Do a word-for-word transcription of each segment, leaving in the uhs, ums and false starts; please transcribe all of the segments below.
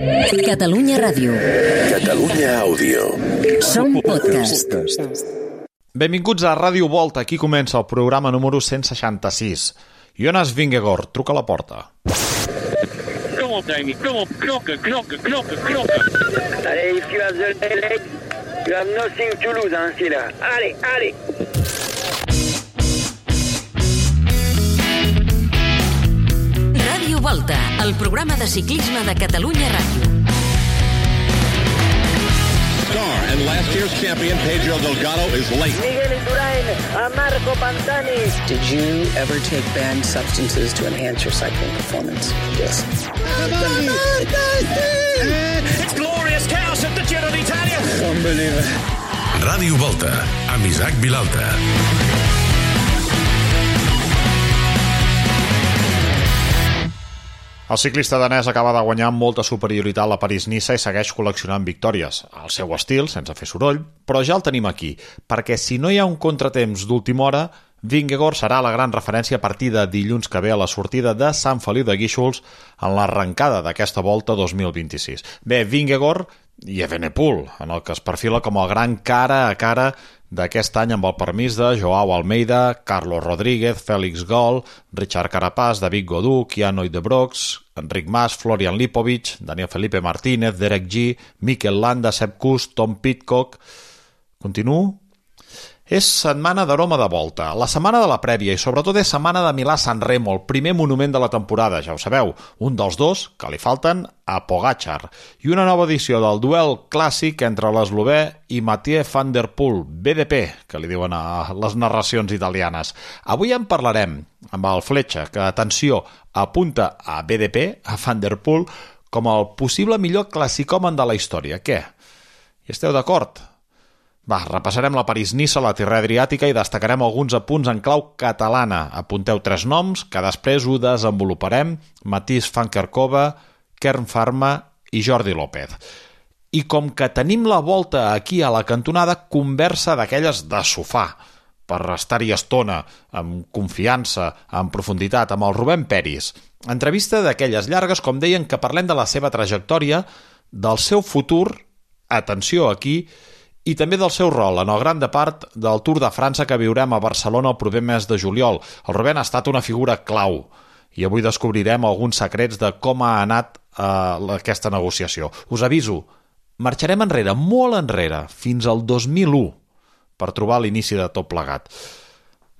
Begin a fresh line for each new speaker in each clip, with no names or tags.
Catalunya Ràdio.
Catalunya Àudio.
Som podcast.
Benvinguts a Ràdio Volta. Aquí comença el programa número cent seixanta-sis. Jonas Vingegaard, truca a la porta.
Kom op, Dani. Kom op. Knokken, knokken, knokken, knokken.
Allez, if you have the leg, you have nothing to lose, hein, c'est là. Allez, allez.
Ràdio Volta, el programa de ciclisme de Catalunya Ràdio.
Star and last year's champion Pedro Delgado is late.
Miguel Indurain, a Marco Pantani.
Did you ever take banned substances to enhance your cycling performance? Yes.
It's glorious chaos at the Giro d'Italia.
Unbelievable.
Ràdio Volta, amb Isaac Vilalta.
El ciclista danès acaba de guanyar amb molta superioritat la París-Niça i segueix col·leccionant victòries. Al seu estil, sense fer soroll, però ja el tenim aquí, perquè si no hi ha un contratemps d'última hora, Vingegaard serà la gran referència a partir de dilluns que ve a la sortida de Sant Feliu de Guíxols en l'arrencada d'aquesta Volta dos mil vint-i-sis. Bé, Vingegaard i Evenepoel, en el que es perfila com el gran cara a cara d'aquest any amb el permís de Joao Almeida, Carlos Rodríguez, Félix Gall, Richard Carapaz, David Gaudu, Keanu Brox, Enric Mas, Florian Lipovic, Daniel Felipe Martínez, Derek G, Mikel Landa, Sepp Kuss, Tom Pidcock... Continuo? És setmana d'aroma de Volta, la setmana de la prèvia i sobretot és setmana de Milà-San Remo, el primer monument de la temporada, ja ho sabeu, un dels dos que li falten a Pogačar, i una nova edició del duel clàssic entre l'eslovè i Mathieu van der Poel, B D P, que li diuen a les narracions italianes. Avui en parlarem amb el Fletxa, que, atenció, apunta a B D P, a van der Poel, com el possible millor classicòmen de la història. Què? Hi esteu d'acord? Va, repassarem la París-Niça, la Tirrena Adriàtica i destacarem alguns apunts en clau catalana. Apunteu tres noms, que després ho desenvoluparem: Mathies van Kerkhove, Kern Pharma i Jordi López. I com que tenim la Volta aquí a la cantonada, conversa d'aquelles de sofà, per estar-hi estona, amb confiança, amb profunditat, amb el Rubén Peris. Entrevista d'aquelles llargues, com deien, que parlem de la seva trajectòria, del seu futur, atenció aquí, i també del seu rol en el gran de part del Tour de França que viurem a Barcelona el proper mes de juliol. El Rubén ha estat una figura clau i avui descobrirem alguns secrets de com ha anat eh, aquesta negociació. Us aviso, marxarem enrere, molt enrere, fins al dos mil u per trobar l'inici de tot plegat.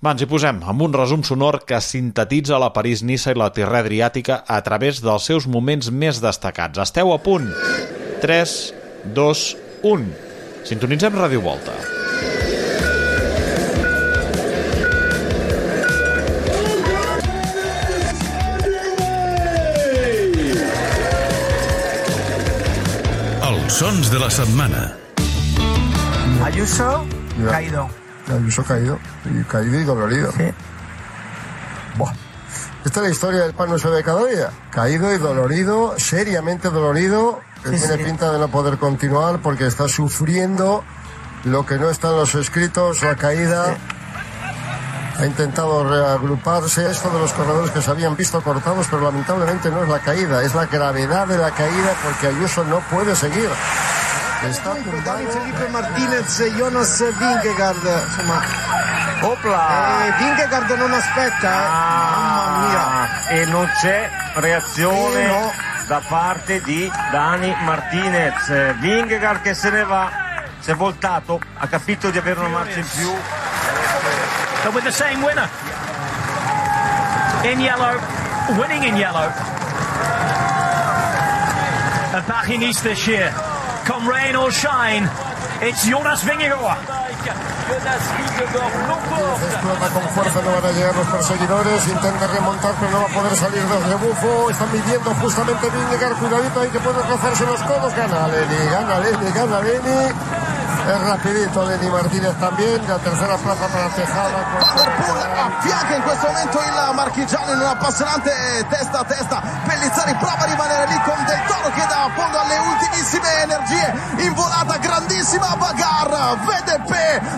Va, ens hi posem amb un resum sonor que sintetitza la París-Niça i la Tirrena Adriàtica a través dels seus moments més destacats. Esteu a punt? tres, dos, u... Sintonitzem Ràdio Volta.
Els sons de la setmana.
Ayuso,
ya.
caído.
Ayuso caído, y caído y dolorido.
Sí.
Buah. Esta es la historia del pan nuestro de cada día. Caído y dolorido, seriamente dolorido. Que
Sí,
tiene
sí.
pinta de no poder continuar porque está sufriendo lo que no está en los escritos, la caída. Ha intentado reagruparse. Esto de los corredores que se habían visto cortados, pero lamentablemente no es la caída, es la gravedad de la caída porque Ayuso no puede seguir. Está
Dani Felipe Martinez e Jonas Vingegaard, insomma. Opla! Eh, Vingegaard non aspetta, eh. Mamma mia.
E non c'è reazione
Eh, no.
da parte di Dani Martinez. Vingegaard che se ne va, si è voltato, ha capito di avere una marcia in più.
But with the same winner. In yellow, winning in yellow. At Paris-Nice this year. Come rain or shine, it's Jonas Vingegaard.
Explota con fuerza, no van a llegar los perseguidores, intenta remontar pero no va a poder salir del rebufo, están midiendo justamente Vingegaard, cuidadito ahí que puede rozarse los codos, gana Lenny, gana Lenny, gana Lenny, es rapidito Lenny Martinez también, la tercera plaza para Tejada.
Affianca in questo momento il marchigiano in una appassionante testa a testa. Pellizzari prova a rimanere lì con Del Toro che dà fondo alle ultimissime energie in volata, grandissima bagarre, V D P,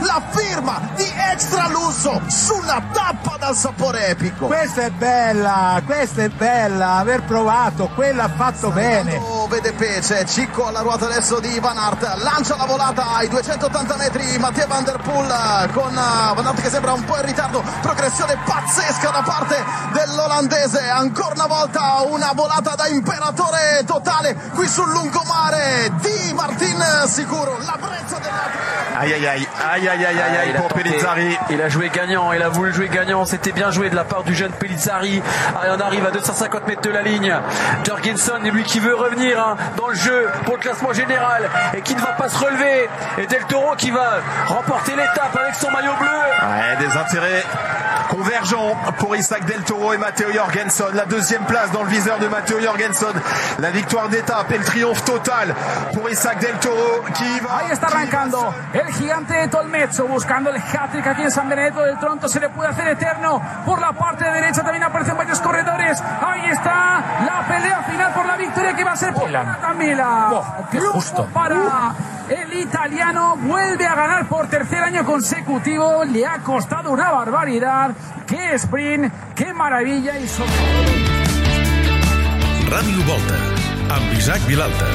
la firma di Extra Lusso sulla tappa dal sapore epico.
Questa è bella, questa è bella, aver provato, quella ha fatto bene.
vede Pece, Cicco alla ruota adesso di Van Aert, lancia la volata ai duecentottanta metri Mathieu Van Der Poel con Van Aert che sembra un po' in ritardo, progressione pazzesca da parte dell'olandese, ancora una volta una volata da imperatore totale qui sul lungomare di Martin sicuro, la brezza della...
Aïe aïe aïe, aïe aïe aïe aïe, aïe pour Pellizzari.
Il a joué gagnant, il a voulu jouer gagnant, c'était bien joué de la part du jeune Pellizzari. On arrive à deux cent cinquante mètres de la ligne. Jorgensen, lui qui veut revenir hein, dans le jeu pour le classement général et qui ne va pas se relever. Et Del Toro qui va remporter l'étape avec son maillot bleu.
Ouais, des intérêts convergents pour Isaac Del Toro et Matteo Jorgensen. La deuxième place dans le viseur de Matteo Jorgensen. La victoire d'étape et le triomphe total pour Isaac Del Toro qui va...
Ahí está arrancando el gigante de Tolmezzo buscando el hat-trick aquí en San Benedetto del Tronto. Se le puede hacer eterno por la parte derecha. También aparecen varios corredores. Ahí está la pelea final por la victoria que va a ser por Camila.
Oh, qué justo.
Para el italiano. Vuelve a ganar por tercer año consecutivo. Le ha costado una barbaridad. Qué sprint, qué maravilla. Y sobre...
Ràdio Volta, amb Isaac Vilalta.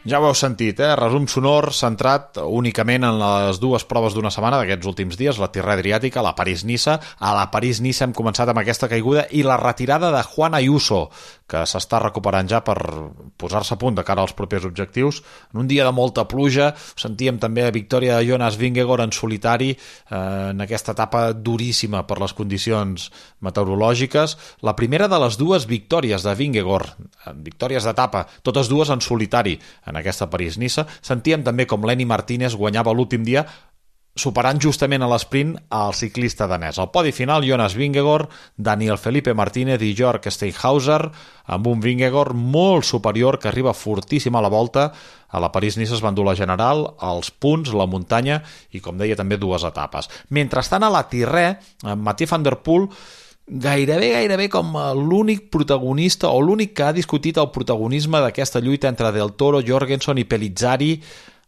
Ja ho heu sentit, eh? Resum sonor centrat únicament en les dues proves d'una setmana d'aquests últims dies, la Tirrena Adriàtica, la París-Niça. A la París-Niça hem començat amb aquesta caiguda i la retirada de Juan Ayuso, que s'està recuperant ja per posar-se a punt de cara als propers objectius. En un dia de molta pluja, sentíem també la victòria de Jonas Vingegaard en solitari eh, en aquesta etapa duríssima per les condicions meteorològiques. La primera de les dues victòries de Vingegaard, victòries d'etapa, totes dues en solitari, en aquesta París-Niça. Sentíem també com Lenny Martínez guanyava l'últim dia superant justament a l'esprint el ciclista danès. Al podi final, Jonas Vingegaard, Daniel Felipe Martínez i Jörg Steinhauser, amb un Vingegaard molt superior que arriba fortíssim a la volta. A la París-Niça es va endur la general, els punts, la muntanya i, com deia, també dues etapes. Mentrestant, a la Tirrena, Mathieu Van Der Poel gairebé, gairebé com l'únic protagonista o l'únic que ha discutit el protagonisme d'aquesta lluita entre Del Toro, Jorgensen i Pellizzari,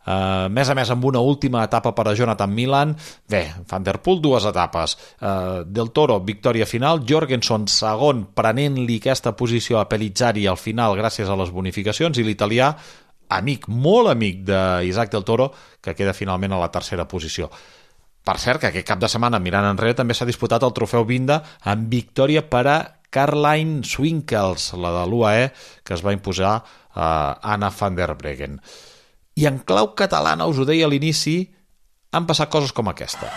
uh, més a més amb una última etapa per a Jonathan Milan. Bé, Van Der Poel dues etapes, uh, Del Toro victòria final, Jorgensen segon prenent-li aquesta posició a Pellizzari al final gràcies a les bonificacions, i l'italià amic, molt amic d'Isaac Del Toro, que queda finalment a la tercera posició. Per cert, que aquest cap de setmana, mirant enrere, també s'ha disputat el trofeu Vinda amb victòria per a Caroline Swinkels, la de l'U A E, que es va imposar a Anna van der Breggen. I en clau catalana, us ho deia a l'inici, han passat coses com aquesta.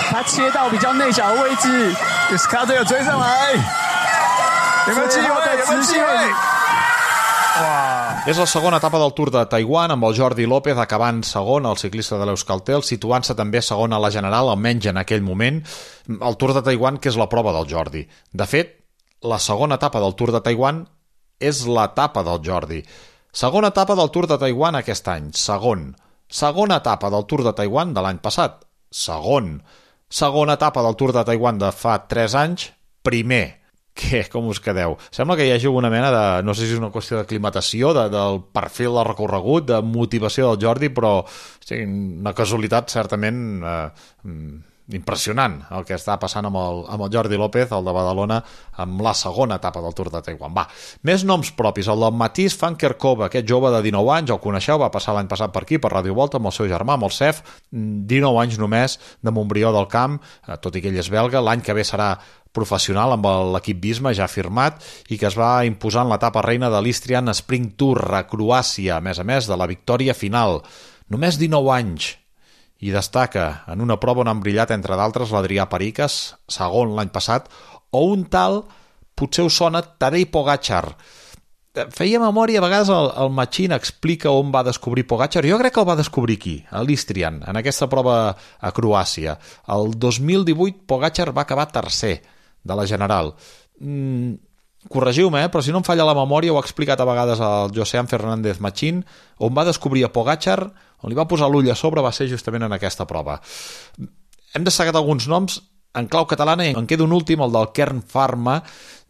他切到比较内角的位置 ，Escato 有追上来，有没有机会？有没有机会？
És la segona etapa del Tour de Taiwan, amb el Jordi López acabant segon, el ciclista de l'Euskaltel, situant-se també segon a la general, almenys en aquell moment. El Tour de Taiwan, que és la prova del Jordi. De fet, la segona etapa del Tour de Taiwan és l'etapa del Jordi. Segona etapa del Tour de Taiwan aquest any, segon. Segona etapa del Tour de Taiwan de l'any passat, segon. Segona etapa del Tour de Taiwan de fa tres anys, primer. Què? Com us quedeu? Sembla que hi hagi alguna mena de... no sé si és una qüestió d'aclimatació, de, del perfil del recorregut, de motivació del Jordi, però sí, una casualitat certament eh, impressionant el que està passant amb el, amb el Jordi López, el de Badalona, amb la segona etapa del Tour de Taiwan. Va, més noms propis. El del Matís van Kerkhove, aquest jove de dinou anys, el coneixeu, va passar l'any passat per aquí, per Ràdio Volta, amb el seu germà, amb el Cef, dinou anys només, de Montbrió del Camp, tot i que ell és belga. L'any que ve serà professional amb l'equip Visma ja firmat i que es va imposar en l'etapa reina de l'Istrian Spring Tour a Croàcia, a més a més de la victòria final. Només dinou anys, i destaca en una prova on han brillat entre d'altres l'Adrià Periques, segon l'any passat, o un tal, potser us sona, Tadej Pogačar. Feia memòria, a vegades el, el Machín explica on va descobrir Pogačar. Jo crec que el va descobrir aquí, a l'Istrian, en aquesta prova a Croàcia. El dos mil divuit Pogačar va acabar tercer de la general. Mm, corregiu-me, eh? Però si no em falla la memòria, ho ha explicat a vegades el Josean Fernández Machín, on va descobrir a Pogačar, on li va posar l'ull a sobre, va ser justament en aquesta prova. Hem destacat alguns noms en clau catalana i en queda un últim, el del Kern Pharma.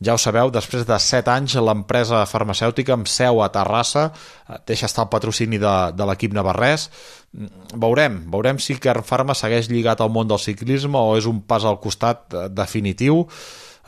Ja ho sabeu, després de set anys l'empresa farmacèutica amb seu a Terrassa deixa estar el patrocini de, de l'equip navarrès. Veurem, veurem si Kern Pharma segueix lligat al món del ciclisme o és un pas al costat definitiu.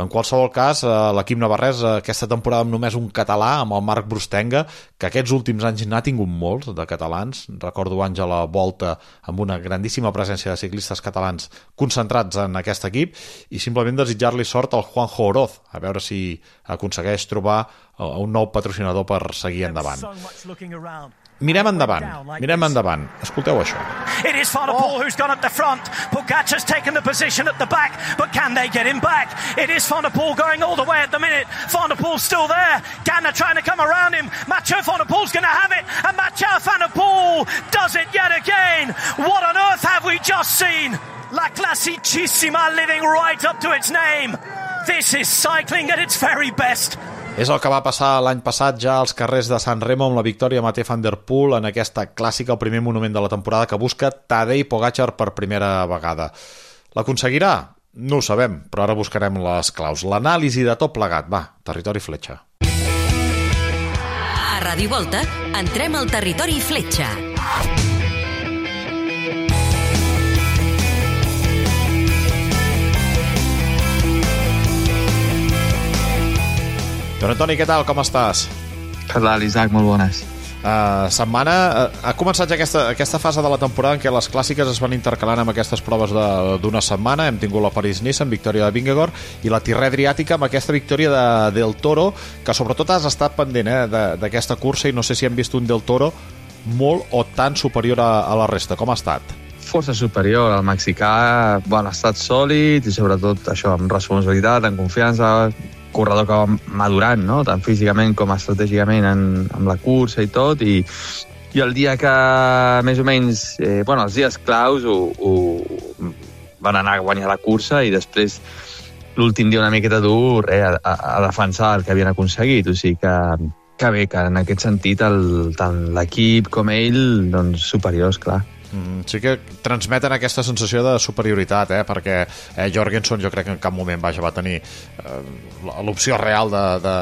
En qualsevol cas, l'equip navarrès aquesta temporada amb només un català, amb el Marc Brustenga, que aquests últims anys n'ha tingut molts de catalans. Recordo anys a la Volta amb una grandíssima presència de ciclistes catalans concentrats en aquest equip, i simplement desitjar-li sort al Juanjo Oroz, a veure si aconsegueix trobar un nou patrocinador per seguir endavant. Mirem endavant, mirem endavant. Escolteu això.
It is Van der Poel who's gone up the front. Pogacar's taken the position at the back, but can they get him back? It is Van der Poel going all the way at the minute. Van der Poel's still there. Ganna trying to come around him. Mathieu Van der Poel's going to have it, and Mathieu Van der Poel does it yet again. What on earth have we just seen? La Classicissima living right up to its name. This is cycling at its very best.
És el que va passar l'any passat ja als carrers de San Remo amb la victòria Mathieu Van der Poel en aquesta clàssica, el primer monument de la temporada que busca Tadej Pogacar per primera vegada. L'aconseguirà? No ho sabem, però ara buscarem les claus. L'anàlisi de tot plegat. Va, Territori Fletxa.
A Ràdio Volta entrem al Territori Fletxa.
Don Antoni, què tal? Com estàs?
Què tal, Isaac? Molt bones.
Uh, setmana, uh, ha començat ja aquesta, aquesta fase de la temporada en què les clàssiques es van intercalant amb aquestes proves d'una setmana. Hem tingut la París-Nice amb victòria de Vingegaard i la Tirrè Adriàtica amb aquesta victòria de Del Toro, que sobretot has estat pendent eh, d'aquesta cursa, i no sé si hem vist un Del Toro molt o tan superior a, a la resta. Com ha estat?
Força superior. El mexicà bueno, ha estat sòlid i sobretot això, amb responsabilitat, amb confiança, corredor que va madurant, no? Tant físicament com estratègicament en, amb la cursa i tot, i, i el dia que més o menys eh, bueno, els dies claus ho, ho van anar a guanyar la cursa, i després l'últim dia una miqueta dur eh, a, a defensar el que havien aconseguit, o sigui que, que bé, que en aquest sentit el, tant l'equip com ell doncs superiors, clar.
Mm, sí que transmeten aquesta sensació de superioritat, eh? perquè eh, Jorgenson jo crec que en cap moment vaja, va tenir eh, l'opció real de, de,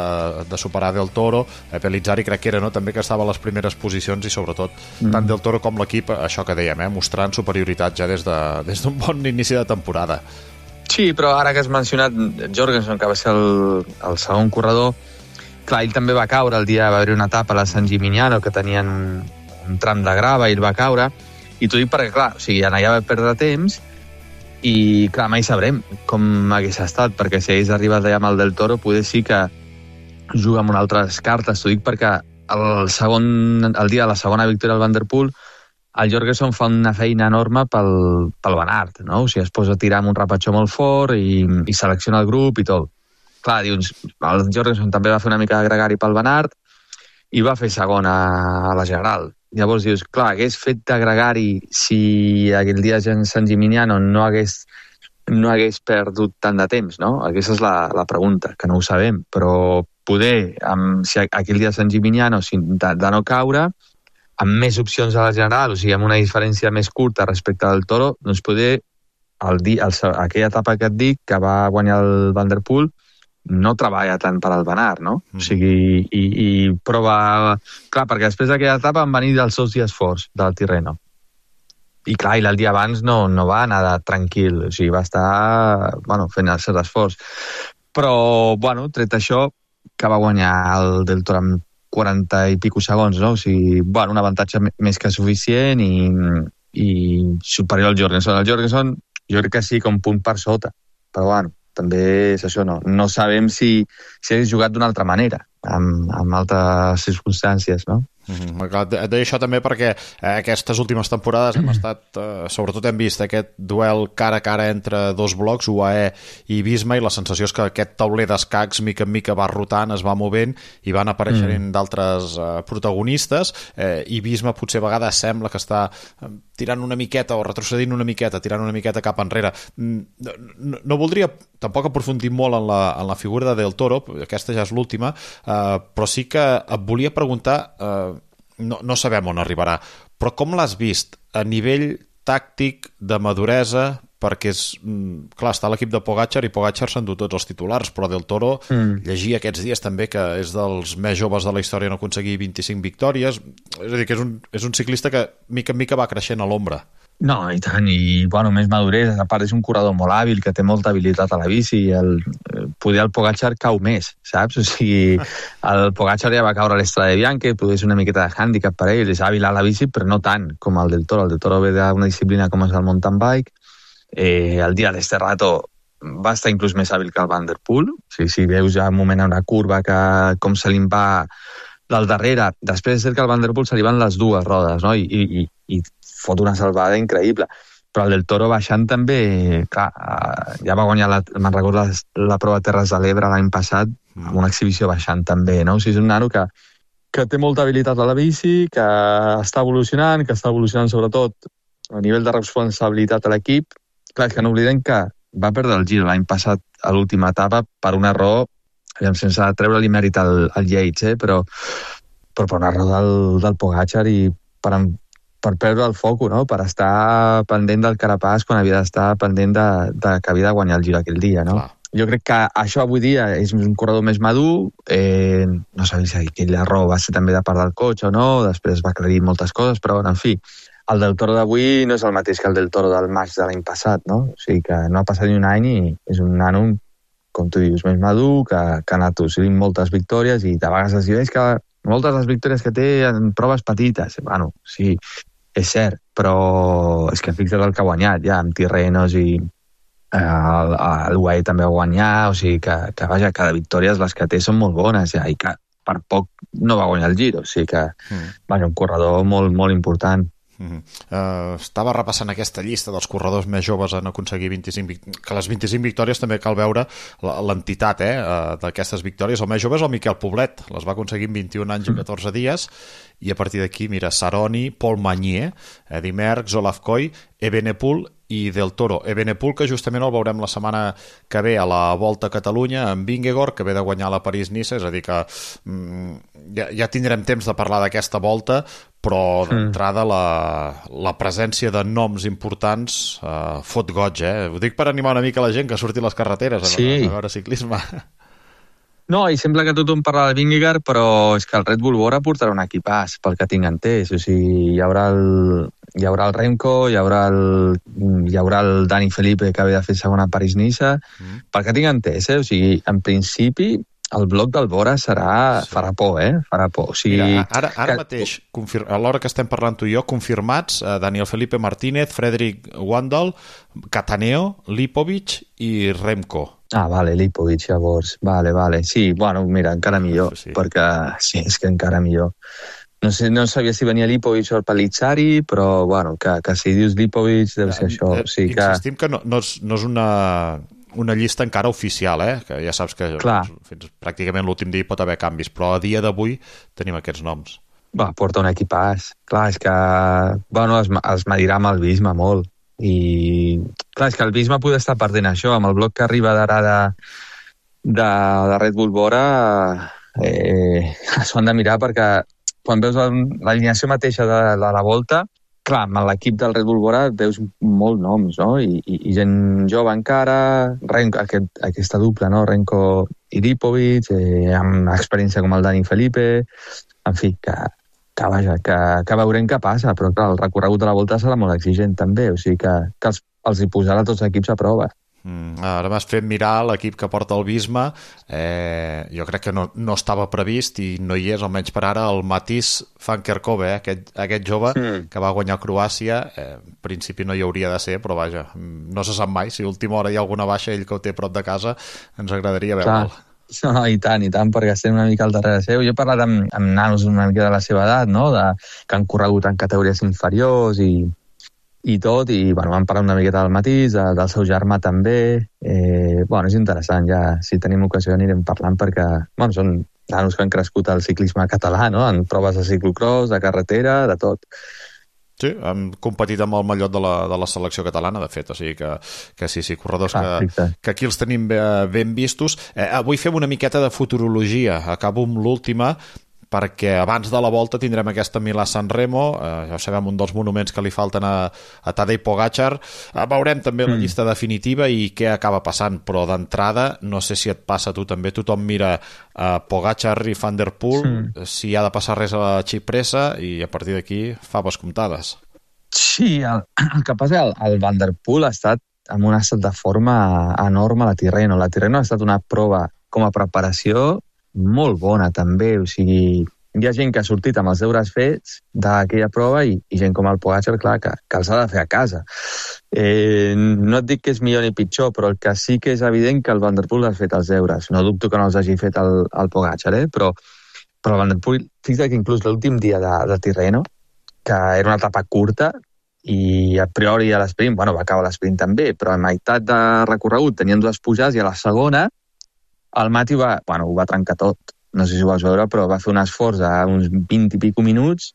de superar Del Toro. eh, Pellizzari crec que era no? també que estava a les primeres posicions, i sobretot mm. tant Del Toro com l'equip, això que dèiem, eh? mostrant superioritat ja des d'un de, des bon inici de temporada.
Sí, però ara que has mencionat Jorgenson, que va ser el, el segon corredor, clar, ell també va caure el dia, va haver una etapa a la San Gimignano que tenien un, un tram de grava i ell va caure. I t'ho dic perquè, clar, o sigui, allà va perdre temps i, clar, mai sabrem com hagués estat, perquè si hagués arribat allà amb el Del Toro, poder sí que juga amb unes altres cartes. T'ho dic perquè el, segon, el dia de la segona victòria del Van der Poel, el Jorgenson fa una feina enorme pel, pel Van Aert, no? O sigui, es posa a tirar amb un rapatxó molt fort i, i selecciona el grup i tot. Clar, dius, el Jorgenson també va fer una mica de gregari pel Van Aert i va fer segona a la General. Llavors dius, clar, hagués fet de gregari si aquell dia en San Gimignano no hagués, no hagués perdut tant de temps, no? Aquesta és la, la pregunta, que no ho sabem, però poder, amb, si aquell dia a San Gimignano, si, de, de no caure, amb més opcions a la General, o sigui, amb una diferència més curta respecte al Toro, doncs poder, el dia, el, aquella etapa que et dic, que va guanyar el Van der Poel, no treballa tant per al Van Aert, no? Mm. O sigui, i, i prova... Clar, perquè després d'aquella etapa van venir els seus dies forts del Tirreno. I clar, i el dia abans no, no va anar de tranquil, o sigui, va estar bueno, fent el seu esforç. Però, bueno, tret això, que va guanyar el Del Toro amb quaranta i pico segons, no? O sigui, bueno, un avantatge més que suficient i, i superior al Jorgenson. El Jorgenson jo crec que sí que un punt per sota, però bueno, també és això, no, no sabem si, si hagués jugat d'una altra manera, amb, amb altres circumstàncies, no?
Mm-hmm. Et deia això també perquè eh, aquestes últimes temporades hem estat, eh, sobretot hem vist aquest duel cara a cara entre dos blocs, U A E i Visma, i la sensació és que aquest tauler d'escacs mica en mica va rotant, es va movent i van apareixent mm. d'altres eh, protagonistes, eh, i Visma potser a vegades sembla que està eh, tirant una miqueta o retrocedint una miqueta, tirant una miqueta cap enrere. No, no, no voldria tampoc aprofundir molt en la, en la figura de Del Toro, aquesta ja és l'última, eh, però sí que et volia preguntar, eh, no, no sabem on arribarà, però com l'has vist a nivell tàctic, de maduresa, perquè és, clar, està l'equip de Pogacar i Pogacar s'han dut tots els titulars, però Del Toro mm. llegia aquests dies també que és dels més joves de la història en aconseguir vint-i-cinc victòries, és a dir, que és un, és un ciclista que mica en mica va creixent a l'ombra.
No, i tant, i bueno, més maduresa, a part és un corredor molt hàbil, que té molta habilitat a la bici, el, poder el Pogačar cau més, saps? O sigui, el Pogačar ja va caure a l'Estrada de Bianchi, poder ser una miqueta de hàndicap per ell, és hàbil a la bici, però no tant com el del Toro. El del Toro ve d'una disciplina com és el mountain bike. Eh, el dia d'Esterrato va estar inclús més hàbil que el Van der Poel. O sigui, si veus ja un moment a una curva que com se li va del darrere, després és que al Van der Poel se li van les dues rodes, no? I, i, i fot una salvada increïble. Però el del Toro baixant també, clar, ja va guanyar, la, me'n recordo, la, la prova de Terres de l'Ebre l'any passat, amb una exhibició baixant també, no? O sigui, és un nano que, que té molta habilitat a la bici, que està evolucionant, que està evolucionant sobretot a nivell de responsabilitat a l'equip. Clar, és que no oblidem que va perdre el Giro l'any passat a l'última etapa per un error, sense treure-li mèrit al, al Yates, eh? però, però per un error del, del Pogačar i per per perdre el foco, no? Per estar pendent del Carapaz quan havia d'estar pendent de, de que havia de guanyar el Giro aquell dia, no? Clar. Jo crec que això avui dia és un corredor més madur, eh, no sabia si aquell error va ser també de part del cotxe o no, després va aclarir moltes coses, però en fi, el del Toro d'avui no és el mateix que el del Toro del maig de l'any passat, no? O sigui que no ha passat ni un any i és un nano, com tu dius, més madur, que, que ha anat assolint moltes victòries i de vegades es diu que moltes les victòries que té en proves petites. Bueno, sí, és cert, però és que fixa't el que ha guanyat ja, amb Tirrenos i eh, el, el U A E també va guanyar, o sigui que, que vaja, cada victòria les que té són molt bones ja, i que per poc no va guanyar el Giro, o sigui que mm. vaja, un corredor molt, molt important.
Mm-hmm. Uh, estava repassant aquesta llista dels corredors més joves en aconseguir vint-i-cinc victòries, que les vint-i-cinc victòries també cal veure l'entitat eh, d'aquestes victòries. El més jove és el Miquel Poblet, les va aconseguir en vint-i-un anys i catorze dies, i a partir d'aquí, mira, Saroni, Paul Magnier, Eddy Merckx, Olaf Koy, Evenepoel i Del Toro. Evenepoel, que justament el veurem la setmana que ve a la Volta a Catalunya amb Vingegaard, que ve de guanyar la París-Niça, és a dir que mm, ja, ja tindrem temps de parlar d'aquesta volta, però d'entrada la, la presència de noms importants eh, fot goig, eh? Ho dic per animar una mica la gent que surti a les carreteres a, sí. a veure ciclisme.
No, i sembla que tothom parla de Vingegaard, però és que el Red Bull Bora portarà un equipàs, pel que tinc entès. O sigui, hi haurà el, hi haurà el Remco, hi haurà el, hi haurà el Dani Felipe, que ve de fer segona a París-Niça. Mm. Pel que tinc entès, eh? O sigui, en principi, el bloc del Bora serà... Sí. Farà por, eh? Farà por. O sigui,
mira, ara, ara
que...
mateix, confir... a l'hora que estem parlant tu i jo, confirmats eh, Daniel Felipe Martínez, Frederic Wandel, Cataneo, Lipovic i Remco.
Ah, vale, Lipovic, llavors. Vale, vale. Sí, bueno, mira, encara millor, sí. perquè sí, és que encara millor. No sé, no sabia si venia Lipovic o el Palizzari, però, bueno, que, que si dius Lipovic deu ser això.
Eh,
o sigui que...
Insistim que no, no, és, no és una... una llista encara oficial, eh? Que ja saps que doncs, fins pràcticament l'últim dia pot haver canvis, però a dia d'avui tenim aquests noms.
Va, porta un equipàs. Clar, és que bueno, es, es medirà amb el Visma molt. I clar, és que el Visma pot estar perdent això, amb el bloc que arriba d'ara de, de, de Red Bull Bora, eh, s'ho han de mirar perquè quan veus l'alineació mateixa de, de la volta, clar, amb l'equip del Red Bull Bora veus molts noms, no? I, i, i gent jove encara, Renko, aquest, aquesta dupla, no? Renko i Lipovic, eh, amb experiència com el Dani Felipe, en fi, que, que vaja, que, que veurem què passa, però clar, el recorregut de la volta serà molt exigent també, o sigui que, que els, els hi posarà tots els equips a prova.
Mm, ara m'has fet mirar l'equip que porta el Visma, eh, jo crec que no, no estava previst i no hi és, almenys per ara, el Matís van Kerkhove, eh, aquest, aquest jove mm. que va guanyar Croàcia, eh, en principi no hi hauria de ser, però vaja, no se sap mai, si a última hora hi ha alguna baixa, ell que ho té prop de casa, ens agradaria veure'l.
No, i tant, i tant, perquè estem una mica al darrere seu. Jo he parlat amb, amb nanos una mica de la seva edat, no? De, que han corregut en categories inferiors i i tot, i bueno, vam parlar una miqueta del Matís, de, del seu germà també. Eh, bueno, és interessant, ja si tenim ocasió anirem parlant perquè bueno, són nanos que han crescut al ciclisme català, no? En proves de ciclocross, de carretera, de tot.
Sí, han competit amb el mallot de la, de la selecció catalana, de fet, o sigui que, que sí, sí, corredors ah, que, que aquí els tenim ben vistos. Eh, avui fem una miqueta de futurologia, acabo amb l'última, perquè abans de la volta tindrem aquesta Milà-San Remo, eh, ja ho sabem, un dels monuments que li falten a, a Tadej Pogačar. Eh, veurem també mm. la llista definitiva i què acaba passant, però d'entrada, no sé si et passa a tu també, tothom mira eh, Pogačar i Van der Poel, mm. si ha de passar res a la xipressa, i a partir d'aquí faves comptades.
Sí, el, el que passa, el, el Van der Poel ha estat amb un estat de forma enorme a la Tirreno. La Tirreno ha estat una prova com a preparació molt bona també, o sigui, hi ha gent que ha sortit amb els deures fets d'aquella prova i, i gent com el Pogačar, clar, que, que els ha de fer a casa. Eh, no et dic que és millor ni pitjor, però el que sí que és evident que el Van der Poel ha fet els deures. No dubto que no els hagi fet el, el Pogačar, eh? però, però el Van der Poel, fixa't que inclús l'últim dia de, de Tirreno, que era una etapa curta, i a priori a l'esprint, bueno, va acabar l'esprint també, però a meitat de recorregut tenien dues pujades i a la segona el Mati va, bueno, ho va trencar tot. No sé si ho vas veure, però va fer un esforç a uns vint i pico minuts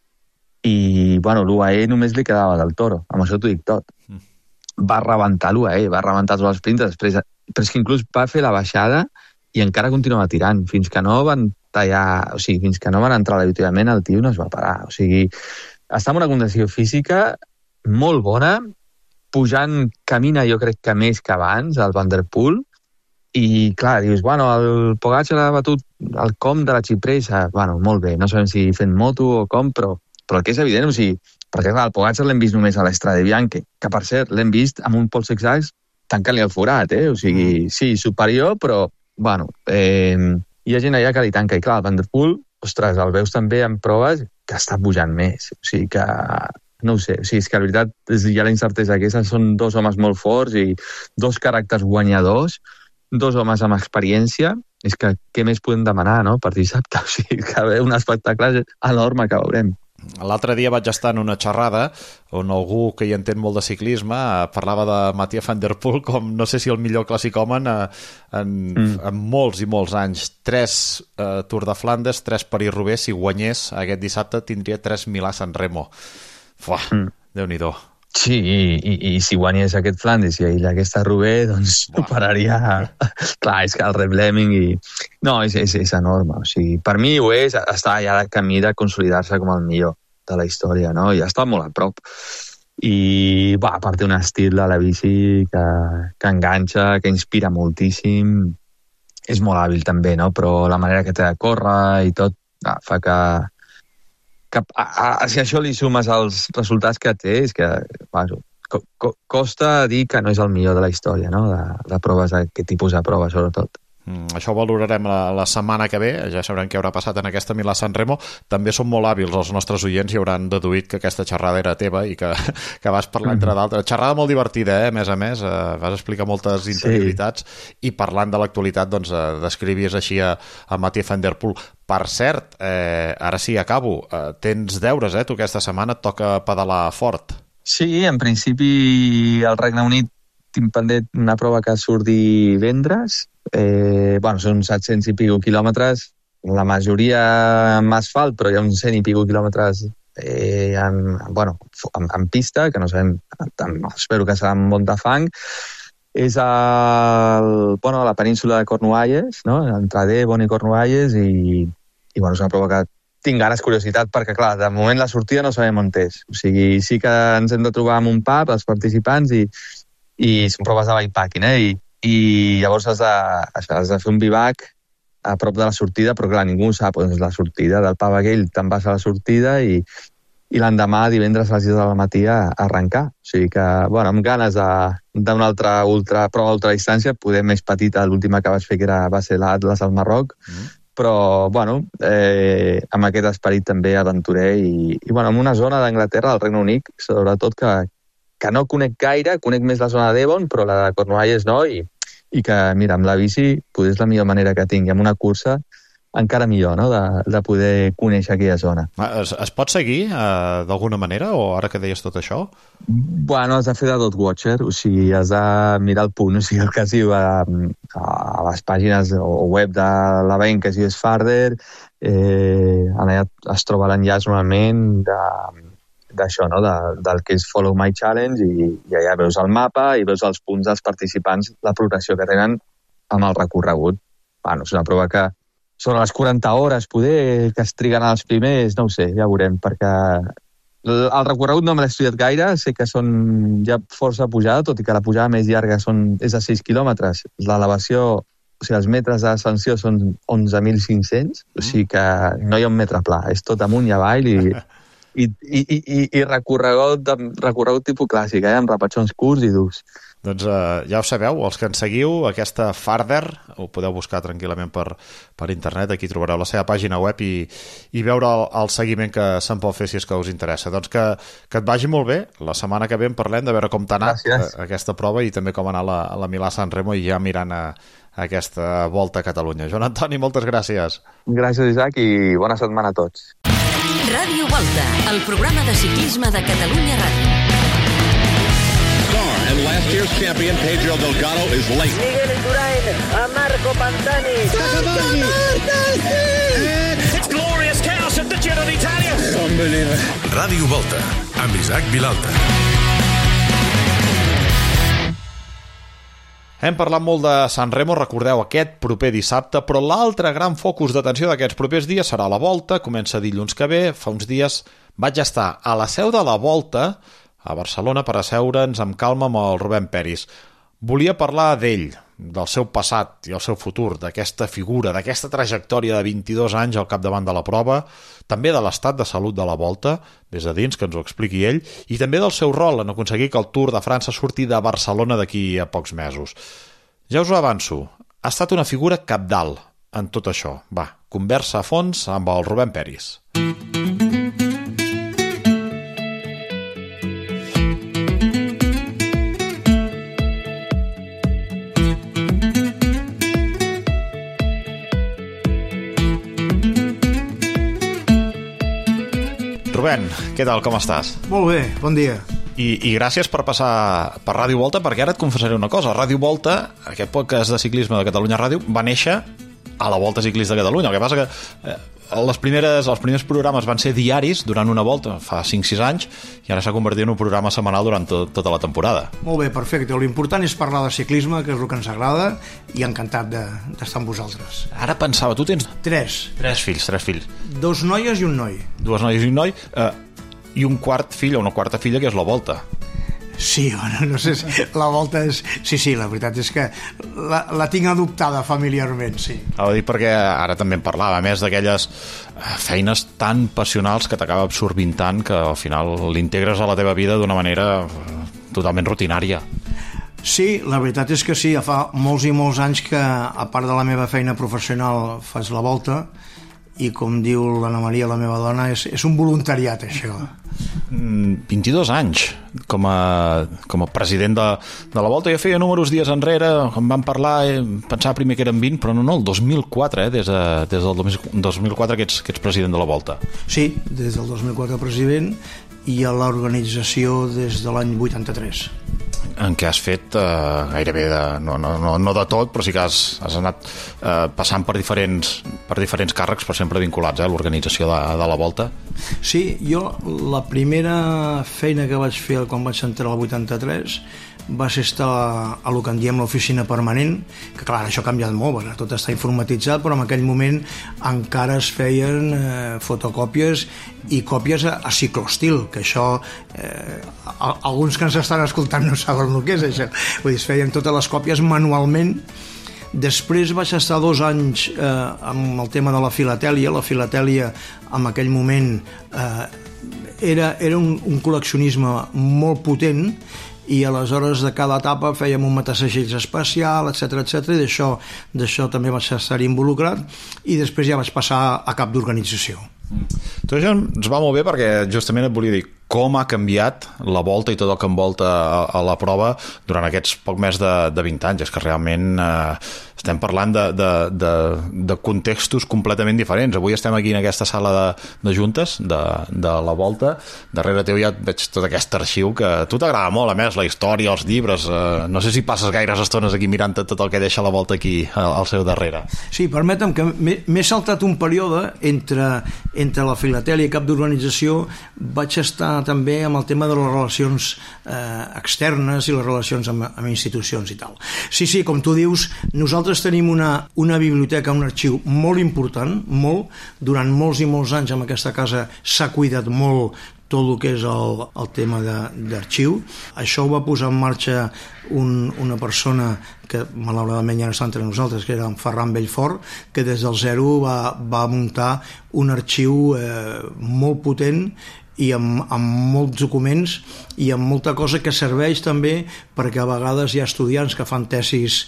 i, bueno, l'U A E només li quedava del Toro. Amb això t'ho dic tot. Mm. Va rebentar l'U A E, va rebentar tots els sprints, després, però és que inclús va fer la baixada i encara continuava tirant. Fins que no van tallar, o sigui, fins que no van entrar a l'avituallament, el tio no es va parar. O sigui, està en una condició física molt bona, pujant, camina jo crec que més que abans, el Van der Poel, i clar, dius, bueno, el Pogačar ha batut el com de la Cipressa, bueno, molt bé, no sabem si fent moto o com, però, però el que és evident, o sigui, perquè clar, el Pogačar l'hem vist només a l'Estrade Bianche, que per cert, l'hem vist amb un Paul Sexax tancant-li el forat, eh? O sigui, sí, superior, però, bueno, eh, hi ha gent allà que li tanca, i clar, el Van der Poel, ostres, el veus també en proves que està pujant més, o sigui que no ho sé, o sigui, és que la veritat hi ha la incertesa aquesta, són dos homes molt forts i dos caràcters guanyadors, dos homes amb experiència, és que què més podem demanar, no?, per dissabte, o sigui, que ve un espectacle enorme que veurem.
L'altre dia vaig estar en una xerrada on algú que hi entén molt de ciclisme parlava de Mathieu van der Poel com, no sé si el millor clàssic-homen en, mm. en molts i molts anys. Tres eh, Tour de Flandes, tres París-Roubaix, si guanyés aquest dissabte tindria tres Milà-San Remo. Fuà, mm. Déu-n'hi-do.
Sí, i, i, i si guanyés aquest Flandes i aquesta Roubaix, doncs ho pararia... Clar, és que el Reb Lemming i... No, és, és, és enorme. O sigui, per mi ho és, està ja de camí de consolidar-se com el millor de la història, no? I està molt a prop. I, va, a part té un estil de la bici que, que enganxa, que inspira moltíssim. És molt hàbil també, no? Però la manera que té de córrer i tot ah, fa que... que a, a, si això li sumes els resultats que té, és que bueno, co, co, costa dir que no és el millor de la història, no? de, de proves, aquest tipus de proves, sobretot.
Mm, això ho valorarem la, la setmana que ve, ja sabrem què haurà passat en aquesta Milà-San Remo. També són molt hàbils els nostres oients i hauran deduït que aquesta xerrada era teva i que, que vas parlar mm-hmm. entre d'altres. Xerrada molt divertida, eh? A més a més, eh, vas explicar moltes interioritats sí. I parlant de l'actualitat, doncs, eh, descrivies així a, a Mathieu van der Poel. Per cert, eh, ara sí, acabo, eh, tens deures, eh? Tu aquesta setmana et toca pedalar fort.
Sí, en principi al Regne Unit tinc pendent una prova que surt divendres. Eh, bueno, són set-cents i pico quilòmetres, la majoria amb asfalt, però hi ha uns cent i pico quilòmetres eh, en, bueno, en, en pista, que no sabem, espero que serà amb molt de fang. És el, bueno, a la península de Cornualles, no? Entre Devon i Cornualles, i, i bueno, és una prova que tinc ganes, curiositat, perquè clar, de moment la sortida no sabem on és. O sigui, sí que ens hem de trobar en un pub, els participants, i, i són proves de bikepacking, eh? I, i llavors has de, has de fer un bivac a prop de la sortida, però clar, ningú sap on és la sortida. Del pub aquell te'n vas a la sortida i, i l'endemà, divendres a les sis del matí, a arrencar. O sigui que, bueno, amb ganes d'una altra ultra, prova d'ultradistància, poder més petita, l'última que vaig fer, que era, va ser l'Atlas al Marroc, mm. però, bueno, eh, amb aquest esperit també aventurer i, i bueno, en una zona d'Anglaterra, del Regne Unit, sobretot, que, que no conec gaire, conec més la zona de Devon, però la de Cornualles no, i, i que, mira, amb la bici potser és la millor manera que tinc, i amb una cursa encara millor, no?, de, de poder conèixer aquella zona.
Es, es pot seguir eh, d'alguna manera, o ara que deies tot això?
Bueno, has de fer de dot watcher, o sigui, has de mirar el punt, o sigui, el que es diu a, a les pàgines o web de l'event, que es diu Farther, eh, allà es troba l'enllaç normalment de d'això, no? de, del que és Follow My Challenge, i, i allà veus el mapa i veus els punts dels participants, la progressió que tenen amb el recorregut. Bueno, és una prova que sobre les quaranta hores, poder que es triguen els primers, no ho sé, ja veurem, perquè el, el recorregut no me l'he estudiat gaire, sé que són ja força pujada, tot i que la pujada més llarga són, és de sis quilòmetres. L'elevació, o sigui, els metres d'ascensió són onze mil cinc-cents, o sigui que no hi ha un metre pla, és tot amunt i avall, i I, i, i, i recorregut, recorregut tipus clàssic, eh? Amb repatxons curts i durs.
Doncs eh, ja ho sabeu, els que ens seguiu, aquesta Farther, ho podeu buscar tranquil·lament per, per internet, aquí trobareu la seva pàgina web i, i veure el, el seguiment que se'n pot fer si és que us interessa. Doncs que, que et vagi molt bé, la setmana que ve en parlem de veure com t'ha anat a, aquesta prova i també com ha anat la, la Milà-San Remo i ja mirant a, a aquesta volta a Catalunya. Joan Antoni, moltes gràcies.
Gràcies, Isaac, i bona setmana a tots.
Ràdio Volta, el programa de ciclisme de Catalunya Ràdio.
And last year's champion Pedro Delgado is late.
Miguel Indurain a Marco Pantani.
It's glorious chaos at the Giro d'Italia.
Unbelievable.
Ràdio Volta, amb Isaac Vilalta.
Hem parlat molt de San Remo, recordeu, aquest proper dissabte, però l'altre gran focus d'atenció d'aquests propers dies serà la Volta, comença dilluns que ve. Fa uns dies vaig estar a la seu de la Volta, a Barcelona, per asseure'ns amb calma amb el Rubén Peris. Volia parlar d'ell, del seu passat i el seu futur, d'aquesta figura, d'aquesta trajectòria de vint-i-dos anys al capdavant de la prova, també de l'estat de salut de la Volta, des de dins, que ens ho expliqui ell, i també del seu rol en aconseguir que el Tour de França surti de Barcelona d'aquí a pocs mesos. Ja us ho avanço, ha estat una figura cabdal en tot això. Va, conversa a fons amb el Rubén Peris. Rubén, què tal, com estàs?
Molt bé, bon dia.
I, i gràcies per passar per Ràdio Volta, perquè ara et confessaré una cosa. Ràdio Volta, aquest podcast de ciclisme de Catalunya Ràdio, va néixer a la Volta Ciclista de Catalunya. El que passa que eh, les primeres, els primers programes van ser diaris durant una volta, fa cinc sis anys, i ara s'ha convertit en un programa setmanal durant tot, tota la temporada.
Molt bé, perfecte. L'important és parlar de ciclisme, que és el que ens agrada, i encantat d'estar de, amb vosaltres.
Ara pensava, tu tens...
Tres.
Tres fills, tres fills.
Dos noies i un noi.
Dues noies i un noi, eh, i un quart fill o una quarta filla, que és la Volta.
Sí, bueno, no sé si la Volta és... Sí, sí, la veritat és que la, la tinc adoptada familiarment, sí.
Ho dic perquè ara també en parlava, a més d'aquelles feines tan passionals que t'acaba absorbint tant que al final l'integres a la teva vida d'una manera totalment rutinària.
Sí, la veritat és que sí, fa molts i molts anys que, a part de la meva feina professional, faig la Volta, i com diu l'Anna Maria, la meva dona, és, és un voluntariat, això.
vint-i-dos anys com a, com a president de, de la Volta. Jo feia números dies enrere, em van parlar, eh, pensava primer que eren vint, però no, no, el dos mil quatre, eh, des, de, des del dos mil quatre que ets, que ets president de la Volta.
Sí, des del dos mil quatre president, i a l'organització des de l'any vuitanta-tres.
En què has fet eh, gairebé de, no, no, no, no de tot, però sí que has, has anat eh, passant per diferents, per diferents càrrecs, però sempre vinculats eh, a l'organització de, de la Volta.
Sí, jo la primera feina que vaig fer quan vaig entrar al vuitanta-tres va ser estar a, a lo que en diem l'oficina permanent, que clar, això ha canviat molt, perquè tot està informatitzat, però en aquell moment encara es feien eh, fotocòpies i còpies a, a cicloestil, que això eh, alguns que ens estan escoltant no saben el que és això. Vull dir, es feien totes les còpies manualment. Després vaig estar dos anys eh, amb el tema de la filatèlia. La filatèlia en aquell moment eh, era, era un, un col·leccionisme molt potent, i aleshores de cada etapa fèiem un matasegells especial, etcètera, etcètera, i d'això, d'això també vaig estar involucrat, i després ja vaig passar a cap d'organització.
Tot això ens va molt bé perquè justament et volia dir com ha canviat la Volta i tot el que envolta a, a la prova durant aquests poc més de, de vint anys. És que realment eh, estem parlant de, de, de, de contextos completament diferents. Avui estem aquí en aquesta sala de, de juntes de, de la Volta. Darrere teu ja veig tot aquest arxiu que a tu t'agrada molt, a més, la història, els llibres. Eh, no sé si passes gaires estones aquí mirant tot el que deixa la Volta aquí al, al seu darrere.
Sí, permetem que m'he saltat un període entre, entre la filatèlia i cap d'organització. Vaig estar també amb el tema de les relacions eh, externes i les relacions amb, amb institucions i tal. Sí, sí, com tu dius, nosaltres tenim una, una biblioteca, un arxiu molt important, molt, durant molts i molts anys en aquesta casa s'ha cuidat molt tot el que és el, el tema d'arxiu. Això ho va posar en marxa un, una persona que malauradament ja no està entre nosaltres, que era en Ferran Bellfort, que des del zero va, va muntar un arxiu eh, molt potent i amb, amb molts documents i amb molta cosa que serveix també perquè a vegades hi ha estudiants que fan tesis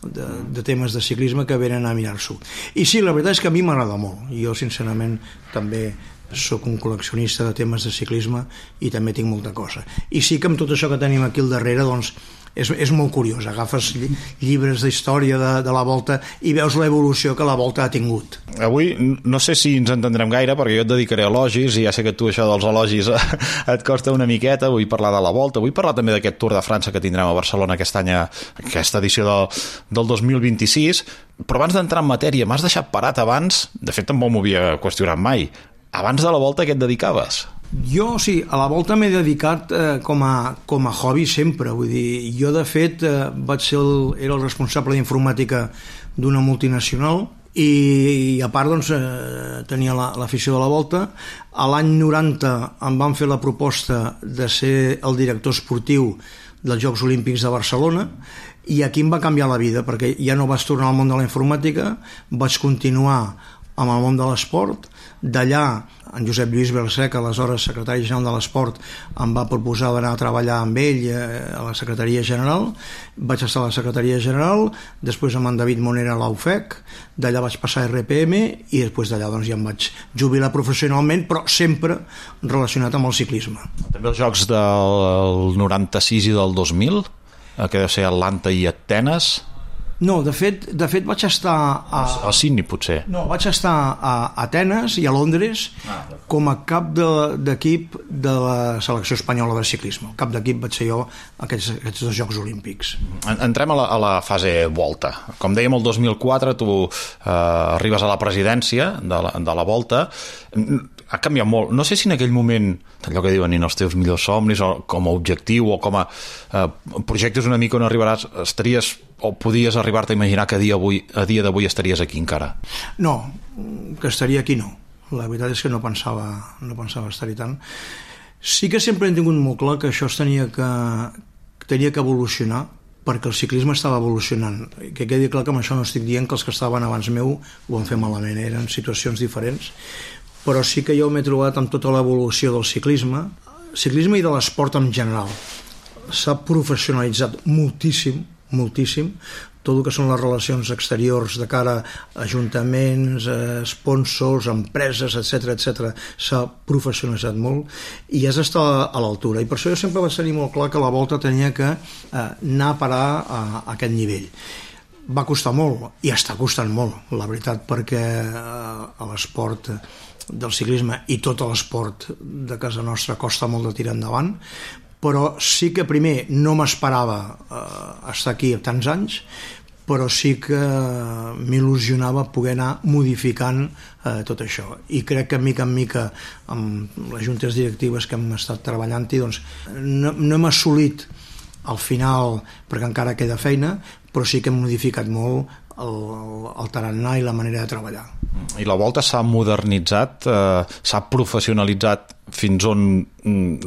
de, de temes de ciclisme que venen a mirar-s'ho. I sí, la veritat és que a mi m'agrada molt. Jo, sincerament, també soc un col·leccionista de temes de ciclisme i també tinc molta cosa. I sí que amb tot això que tenim aquí al darrere, doncs, és, és molt curiós. Agafes llibres d'història de, de la Volta i veus l'evolució que la Volta ha tingut.
Avui no sé si ens entendrem gaire, perquè jo et dedicaré a elogis i ja sé que tu això dels elogis et costa una miqueta. Vull parlar de la Volta, vull parlar també d'aquest Tour de França que tindrem a Barcelona aquest any, aquesta edició del, del dos mil vint-i-sis. Però abans d'entrar en matèria, m'has deixat parat abans, de fet tampoc m'ho havia qüestionat mai. Abans de la Volta, a què et dedicaves?
Jo, sí, a la Volta m'he dedicat eh, com, a, com a hobby sempre. Vull dir, jo, de fet, eh, vaig ser el, era el responsable d'informàtica d'una multinacional i, i a part, doncs, eh, tenia l'afició la, de la Volta. A l'any noranta em van fer la proposta de ser el director esportiu dels Jocs Olímpics de Barcelona i aquí em va canviar la vida, perquè ja no vaig tornar al món de la informàtica, vaig continuar amb el món de l'esport. D'allà, en Josep Lluís Belcec, aleshores secretari general de l'Esport, em va proposar d'anar a treballar amb ell a la secretaria general. Vaig estar a la secretaria general, després amb en David Monera a l'A U F E C, d'allà vaig passar a R P M i després d'allà doncs, ja em vaig jubilar professionalment, però sempre relacionat amb el ciclisme.
També els Jocs del noranta-sis i del dos mil, que deu ser Atlanta i Atenes.
No, de fet, de fet vaig estar a...
A Sydney, potser.
No, vaig estar a Atenes i a Londres com a cap d'equip de la selecció espanyola de ciclisme. El cap d'equip vaig ser jo aquests, aquests dos Jocs Olímpics.
Entrem a la, a la fase Volta. Com dèiem, el dos mil quatre tu eh, arribes a la presidència de la, de la Volta. Ha canviat molt. No sé si en aquell moment, allò que diuen, en els teus millors somnis, o com a objectiu, o com a eh, projectes una mica on arribaràs, estaries o podies arribar-te a imaginar que a dia, avui, a dia d'avui estaries aquí encara?
No, que estaria aquí no. La veritat és que no pensava, no pensava estar-hi tant. Sí que sempre he tingut molt clar que això es tenia que, tenia que evolucionar, perquè el ciclisme estava evolucionant. Que quedi clar que amb això no estic dient que els que estaven abans meu ho van fer malament, eren situacions diferents, però sí que jo m'he trobat amb tota l'evolució del ciclisme, ciclisme i de l'esport en general. S'ha professionalitzat moltíssim, moltíssim, tot el que són les relacions exteriors de cara a ajuntaments, eh, sponsors, empreses, etcètera, etcètera, s'ha professionalitzat molt i has d'estar a l'altura. I per això jo sempre vaig tenir molt clar que la Volta tenia que eh, anar a parar a, a aquest nivell. Va costar molt i està costant molt, la veritat, perquè eh, l'esport del ciclisme i tot l'esport de casa nostra costa molt de tirar endavant, però sí que primer no m'esperava eh, estar aquí tants anys, però sí que m'il·lusionava poder anar modificant eh, tot això. I crec que mica en mica amb les juntes directives que hem estat treballant-hi, doncs, no, no hem assolit al final, perquè encara queda feina, però sí que hem modificat molt el, el tarannà i la manera de treballar.
I la Volta s'ha modernitzat, eh, s'ha professionalitzat fins on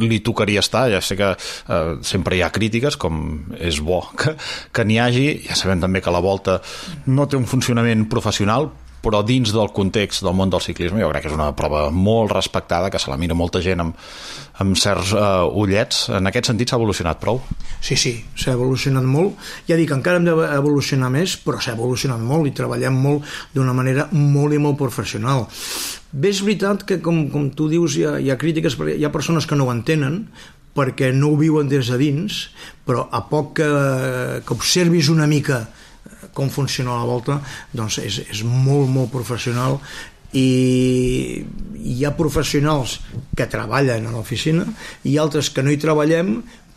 li tocaria estar. Ja sé que eh, sempre hi ha crítiques, com és bo que, que n'hi hagi. Ja sabem també que la Volta no té un funcionament professional, però dins del context del món del ciclisme jo crec que és una prova molt respectada, que se la mira molta gent amb, amb certs uh, ullets. En aquest sentit s'ha evolucionat prou?
Sí, sí, s'ha evolucionat molt. Ja dic, encara hem d'evolucionar més, però s'ha evolucionat molt i treballem molt d'una manera molt i molt professional. Bé, és veritat que, com, com tu dius, hi ha, hi ha crítiques, perquè hi ha persones que no ho entenen, perquè no ho viuen des de dins, però a poc que, que observis una mica com funciona la Volta, doncs és, és molt, molt professional i hi ha professionals que treballen a l'oficina i altres que no hi treballem,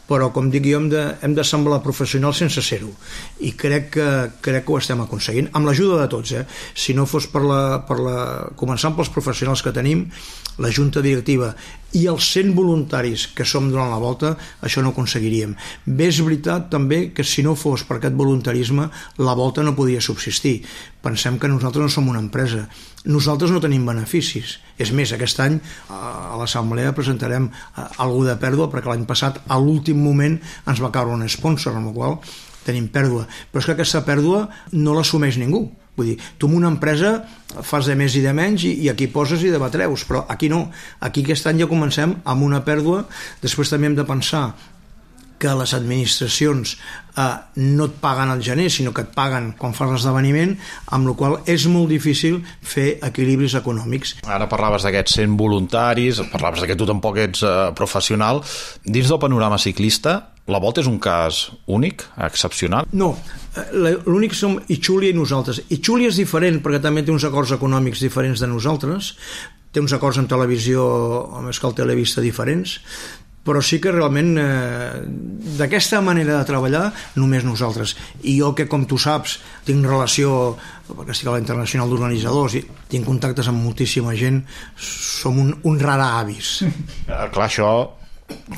però com dic jo hem de, hem de semblar professionals sense ser-ho i crec que, crec que ho estem aconseguint amb l'ajuda de tots, eh? Si no fos per la, per la, començant pels professionals que tenim, la junta directiva i els cent voluntaris que som durant la volta, això no ho aconseguiríem. Bé, és veritat també que si no fos per aquest voluntarisme la volta no podia subsistir. Pensem que nosaltres no som una empresa, nosaltres no tenim beneficis. És més, aquest any a l'assemblea presentarem algú de pèrdua perquè l'any passat a l'últim moment ens va caure un sponsor, amb la qual tenim pèrdua. Però és que aquesta pèrdua no l'assumeix ningú. Vull dir, tu en una empresa fas de més i de menys i, i aquí poses i debatreus, però aquí no. Aquí aquest any ja comencem amb una pèrdua. Després també hem de pensar que les administracions eh, no et paguen al gener, sinó que et paguen quan fas l'esdeveniment, amb la qual és molt difícil fer equilibris econòmics.
Ara parlaves d'aquests cent voluntaris, parlaves que tu tampoc ets eh, professional. Dins del panorama ciclista, la Volta és un cas únic, excepcional?
No, l'únic som Itxúlia i nosaltres. Itxúlia és diferent perquè també té uns acords econòmics diferents de nosaltres, té uns acords amb televisió, amb Escal Televista diferents, però sí que realment eh, d'aquesta manera de treballar només nosaltres. I jo que, com tu saps, tinc relació, perquè estic a la Internacional d'Organitzadors i tinc contactes amb moltíssima gent, som un, un rara avis.
Eh, clar, això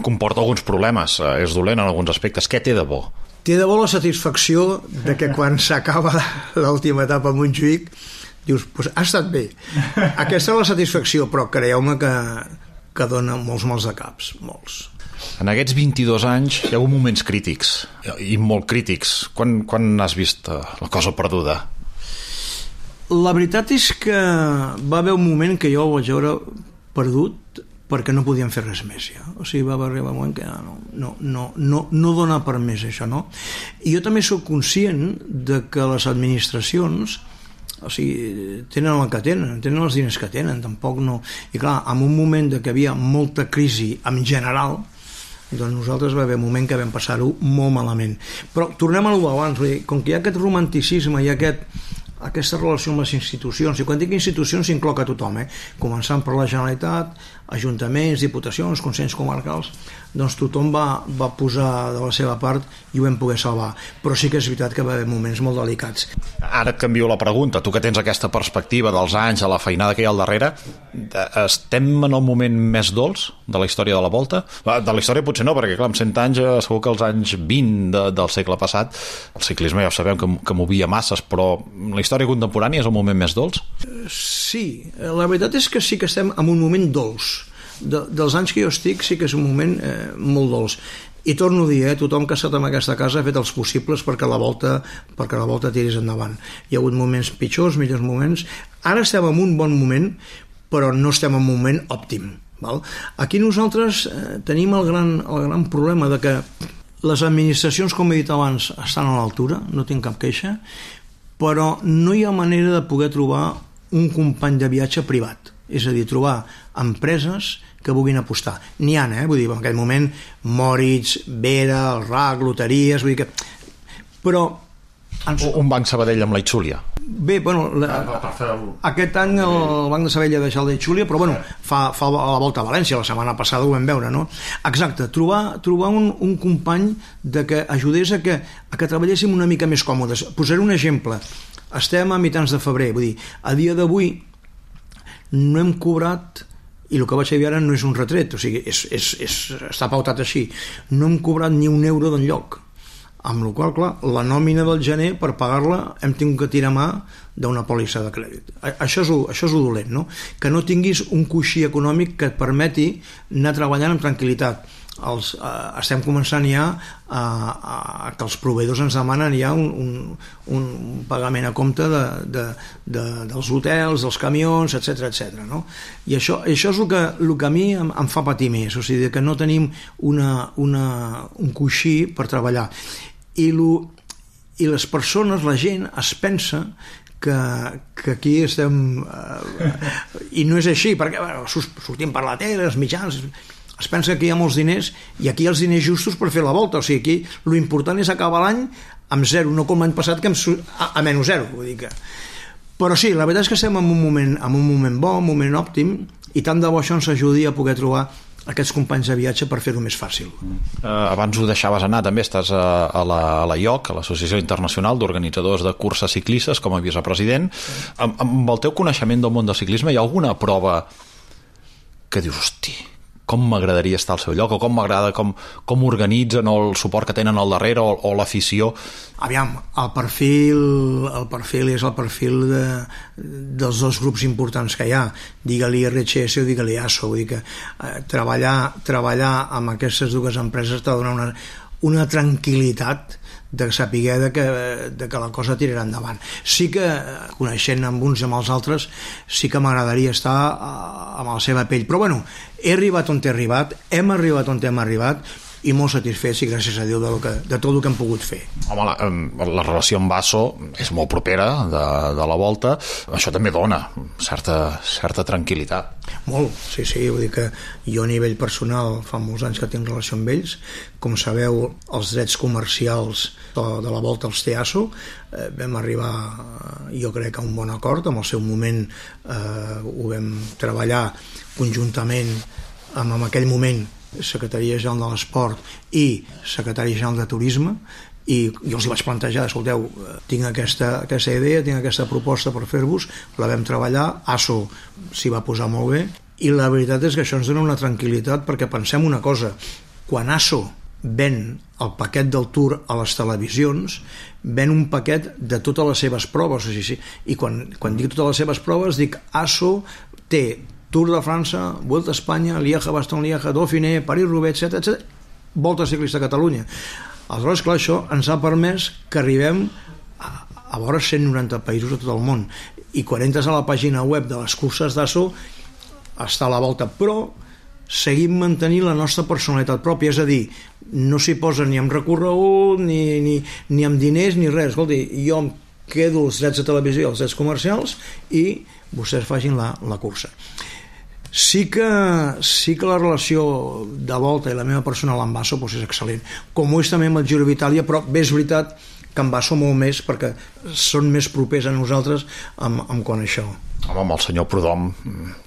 comporta alguns problemes, eh, és dolent en alguns aspectes. Què té de bo?
Té de bo la satisfacció de que quan s'acaba l'última etapa a Montjuïc dius, pues ha estat bé. Aquesta és la satisfacció, però creieu-me que que dona molts mals de caps, molts.
En aquests vint-i-dos anys hi ha hagut moments crítics, i molt crítics. Quan, quan has vist la cosa perduda?
La veritat és que va haver un moment que jo ho vaig veure perdut perquè no podíem fer res més ja. O sigui, va arribar un moment que no, no, no, no, no dona per més això, no? I jo també sóc conscient de que les administracions, o sigui, tenen el que tenen, tenen els diners que tenen, tampoc no... I clar, en un moment de que hi havia molta crisi en general, doncs nosaltres va haver un moment que vam passar-ho molt malament. Però tornem a l'ho abans, vull dir, com que hi ha aquest romanticisme, hi ha aquest, aquesta relació amb les institucions, i quan dic institucions s'incloc a tothom, eh? Començant per la Generalitat, ajuntaments, diputacions, consells comarcals, doncs tothom va, va posar de la seva part i ho vam poder salvar. Però sí que és veritat que va haver moments molt delicats.
Ara et canvio la pregunta. Tu que tens aquesta perspectiva dels anys, a la feinada que hi ha al darrere, estem en el moment més dolç de la història de la Volta? De la història potser no, perquè clar, amb cent anys segur que els anys vint de, del segle passat el ciclisme ja ho sabem que, que movia masses, però la història contemporània és el moment més dolç?
Sí, la veritat és que sí que estem en un moment dolç. De, dels anys que jo estic sí que és un moment eh, molt dolç. I torno a dir, eh, tothom que ha estat en aquesta casa ha fet els possibles perquè la volta perquè la volta tiris endavant. Hi ha hagut moments pitjors, millors moments. Ara estem en un bon moment, però no estem en un moment òptim. Val? Aquí nosaltres eh, tenim el gran, el gran problema de que les administracions, com he dit abans, estan a l'altura, no tinc cap queixa, però no hi ha manera de poder trobar un company de viatge privat. És a dir, trobar empreses que vulguin apostar. N'hi ha, eh? Vull dir, en aquell moment, Moritz, Vera, el R A C, loteries, vull dir que... Però...
Ens... Un banc Sabadell amb la Itxúlia.
Bé, bueno, la... aquest any el Banc de Sabadell ha deixat la Itxúlia, però bueno, fa, fa la volta a València, la setmana passada ho vam veure, no? Exacte, trobar, trobar un, un company de que ajudés a que, a que treballéssim una mica més còmodes. Posaré un exemple. Estem a mitjans de febrer, vull dir, a dia d'avui no hem cobrat, i el que vaig dir ara no és un retret, o sigui, és, és, és, està pautat així, no hem cobrat ni un euro d'enlloc, amb la qual cosa, clar, la nòmina del gener per pagar-la hem tingut que tirar mà d'una pòlissa de crèdit. Això és, això és dolent, no? Que no tinguis un coixí econòmic que et permeti anar treballant amb tranquil·litat. Els, eh, estem començant ja a, a, a que els proveïdors ens demanen ja un, un, un pagament a compte de, de, de, dels hotels, dels camions, etcètera, etcètera, no? I això, això és el que, el que a mi em, em fa patir més, o sigui, que no tenim una, una, un coixí per treballar. I, lo, i les persones, la gent es pensa que, que aquí estem eh, i no és així, perquè bueno, sortim per la tele, els mitjans, es pensa que hi ha molts diners i aquí hi ha els diners justos per fer la volta, o sigui, aquí l'important és acabar l'any amb zero, no com l'any passat que amb, a, a menys zero, vull dir que... Però sí, la veritat és que estem en un moment, en un moment bo, un moment òptim, i tant de bo això ens ajudi a poder trobar aquests companys de viatge per fer-ho més fàcil.
Uh, abans ho deixaves anar, també estàs a, a la, a la I O C, a l'Associació Internacional d'Organitzadors de Curses Ciclistes, com a vicepresident. Amb, amb el teu coneixement del món del ciclisme, hi ha alguna prova que dius, hosti, com m'agradaria estar al seu lloc, o com m'agrada com, com organitzen, o el suport que tenen al darrere, o, o l'afició?
Aviam, el perfil, el perfil és el perfil de, dels dos grups importants que hi ha, digue-li R H S o digue-li A S O, vull dir que eh, treballar, treballar amb aquestes dues empreses t'ha de donar una, una tranquil·litat de saber de que, de que la cosa tirarà endavant. Sí que, coneixent amb uns i amb els altres, sí que m'agradaria estar amb la seva pell, però bueno, he arribat on he arribat, hem arribat on hem arribat, i molt satisfets i gràcies a Déu de, que, de tot el que hem pogut fer.
Home, la, la relació amb A S O és molt propera de, de la volta, això també dona certa, certa tranquil·litat.
Molt, sí, sí, vull dir que jo a nivell personal fa molts anys que tinc relació amb ells, com sabeu els drets comercials de, de la volta als té A S O, eh, vam arribar jo crec a un bon acord, en el seu moment eh, ho vam treballar conjuntament amb en aquell moment Secretaria General de l'Esport i Secretari General de Turisme, i jo els hi vaig plantejar, escolteu, tinc aquesta, aquesta idea, tinc aquesta proposta per fer-vos, la vam treballar, A S O s'hi va posar molt bé, i la veritat és que això ens dona una tranquil·litat, perquè pensem una cosa, quan A S O ven el paquet del Tour a les televisions, ven un paquet de totes les seves proves, o sigui, i quan, quan dic totes les seves proves dic A S O té Tour de França, Vuelta a Espanya, Lieja, Bastogne-Lieja, Dauphiné, París-Roubaix, etcètera, etcètera, Volta Ciclista a Catalunya. Aleshores, clar, això ens ha permès que arribem a, a vora cent noranta països de tot el món. I quan entres a la pàgina web de les curses d'A S O, està a la volta, però seguim mantenint la nostra personalitat pròpia, és a dir, no s'hi posa ni amb recorregut, ni, ni, ni amb diners, ni res. Escolti, jo em quedo els drets de televisió i els drets comercials i vostès facin la, la cursa. Sí que, sí que la relació de volta i la meva personal amb A S O doncs és excel·lent, com ho és també amb el Giro d'Itàlia, però bé és veritat que amb A S O molt més, perquè són més propers a nosaltres amb, amb quan això.
Home, amb el senyor Prudhomme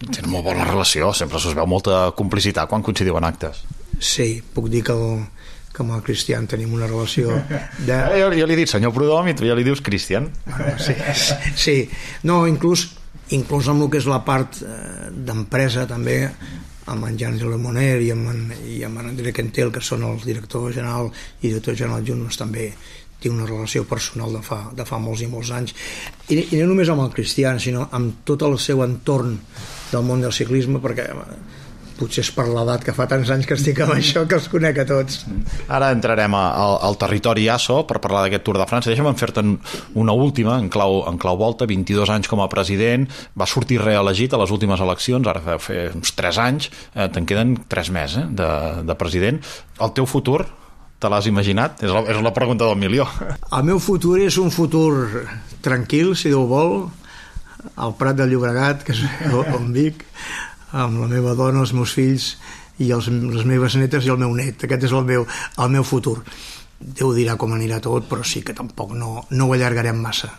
tenen molt bona relació, sempre us veu molta complicitat quan coincidiu en actes.
Sí, puc dir que el, que amb el Cristian tenim una relació de...
Jo, jo li he dit senyor Prudhomme i tu ja li dius Cristian.
Sí, sí. No, inclús inclús amb el que és la part eh, d'empresa també, amb en Jean Lemoner i amb en, i amb en André Quentel, que són els directors general i director general adjunts, també tinc una relació personal de fa, de fa molts i molts anys, i, i no només amb el Cristian, sinó amb tot el seu entorn del món del ciclisme, perquè potser és per l'edat que fa tants anys que estic amb això que els conec a tots.
Ara entrarem a, a, al territori A S O per parlar d'aquest Tour de França. Deixa'm fer-te una última en clau, en clau volta, vint-i-dos anys com a president, va sortir reelegit a les últimes eleccions, ara fa fer uns tres anys, eh, te'n queden tres més eh, de, de president. El teu futur te l'has imaginat? És la, és la pregunta del milió.
El meu futur és un futur tranquil, si Déu vol, al Prat del Llobregat, que és on vic, amb la meva dona, els meus fills i els, les meves netes i el meu net. Aquest és el meu, el meu futur. Déu dirà com anirà tot, però sí que tampoc no, no ho allargarem massa.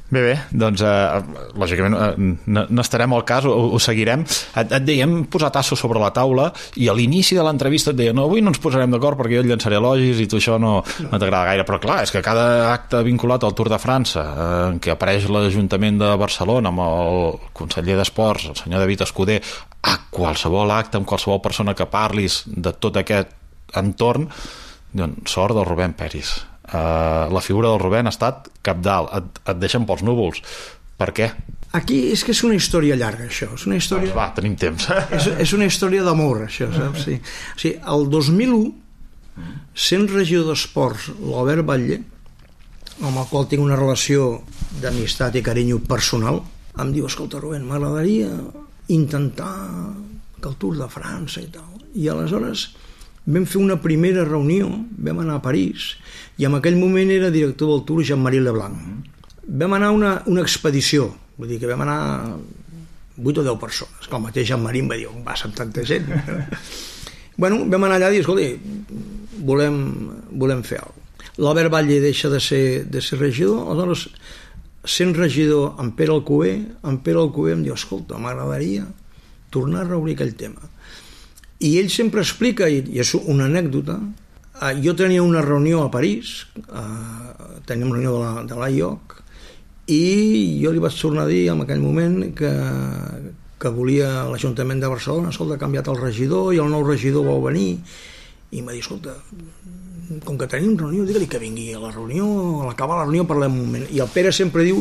Bé, bé, doncs eh, lògicament eh, n'estarem al cas, ho, ho seguirem. Et, et deia, hem posat A S O sobre la taula i a l'inici de l'entrevista et deia, no, avui no ens posarem d'acord perquè jo et llançaré elogis i tu això no, no t'agrada gaire, però clar, és que cada acte vinculat al Tour de França, eh, en què apareix l'Ajuntament de Barcelona amb el conseller d'Esports, el senyor David Escudé, a qualsevol acte, amb qualsevol persona que parlis de tot aquest entorn, doncs sort del Rubén Peris. Uh, la figura del Rubén ha estat cabdal, et, et deixen pels núvols. Per què?
Aquí és que és una història llarga, això. És una història...
Doncs va, tenim temps.
És, és una història d'amor, això, saps? Sí. O sigui, el dos mil u, sent regidor d'Esports, l'Albert Batlle, amb el qual tinc una relació d'amistat i carinyo personal, em diu, escolta, Rubén, m'agradaria intentar que el Tour de França i tal. I aleshores vam fer una primera reunió, vam anar a París, i en aquell moment era director del Tour Jean-Marie Leblanc. Vam anar a una, una expedició, vull dir que vam anar vuit o deu persones, que el mateix Jean-Marie em va dir, on vas amb tanta gent? Bueno, vam anar allà i dir, escolta, volem, volem fer alguna cosa. L'Albert Batlle deixa de ser, de ser regidor, aleshores, sent regidor en Pere Alcover, en Pere Alcover em diu, escolta, m'agradaria tornar a reobrir aquell tema. I ell sempre explica, i és una anècdota, jo tenia una reunió a París, teníem una reunió de la, de l'A I O C, i jo li vaig tornar a dir en aquell moment que, que volia l'Ajuntament de Barcelona, escolta, ha canviat el regidor i el nou regidor va venir, i em va dir, escolta, com que tenim reunió, digue-li que vingui a la reunió, a l'acabar la reunió parlem un moment. I el Pere sempre diu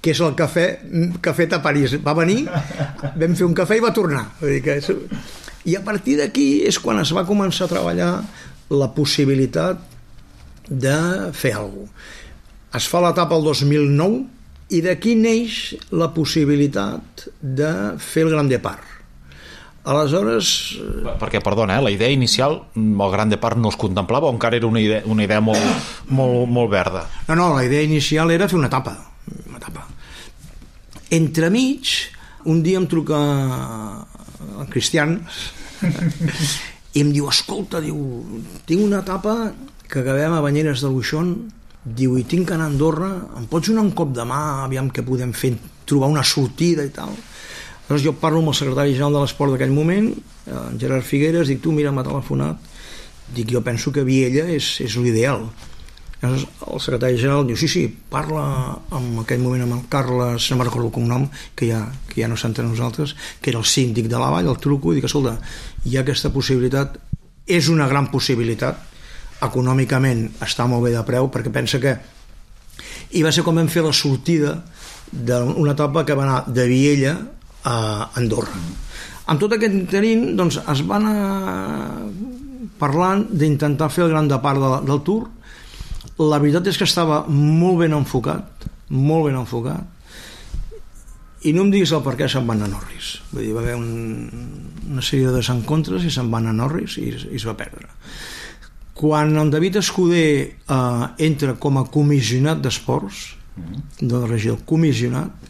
que és el cafè que ha fet a París. Va venir, vam fer un cafè i va tornar. Vull dir que és... I a partir d'aquí és quan es va començar a treballar la possibilitat de fer alguna cosa. Es fa l'etapa el dos mil nou i d'aquí neix la possibilitat de fer el Grand Depart. Aleshores...
Perquè, perdona, eh, la idea inicial, el Grand Depart no es contemplava o encara era una idea, una idea molt, molt, molt verda?
No, no, la idea inicial era fer una etapa. Una etapa. Entremig, un dia em truca el Cristian i em diu, escolta, diu, tinc una etapa que acabem a Banyeres de Luixón, diu, i tinc que anar a Andorra, em pots donar un cop de mà, aviam què podem fer, trobar una sortida i tal. Llavors jo parlo amb el secretari general de l'esport d'aquell moment, en Gerard Figueres, dic, tu, mira, m'ha telefonat, dic, jo penso que Viella és, és l'ideal. Llavors el secretari general diu, sí, sí, parla en aquell moment amb el Carles, no me'n recordo el cognom, que ja, que ja no s'entén nosaltres, que era el síndic de la Vall, el truco, i dic, escolta, hi ha aquesta possibilitat, és una gran possibilitat, econòmicament està molt bé de preu, perquè pensa que... I va ser com vam fer la sortida d'una etapa que va anar de Viella a Andorra. Amb tot aquest interín, doncs, es van anar parlant d'intentar fer el Gran Depart de, del Tour. La veritat és que estava molt ben enfocat, molt ben enfocat, i no em diguis el per què se'n van a Norris. Vull dir, va haver un, una sèrie de desencontres i se'n van a Norris i, i es va perdre. Quan el David Escudé eh, entra com a comissionat d'esports, de la regió, comissionat,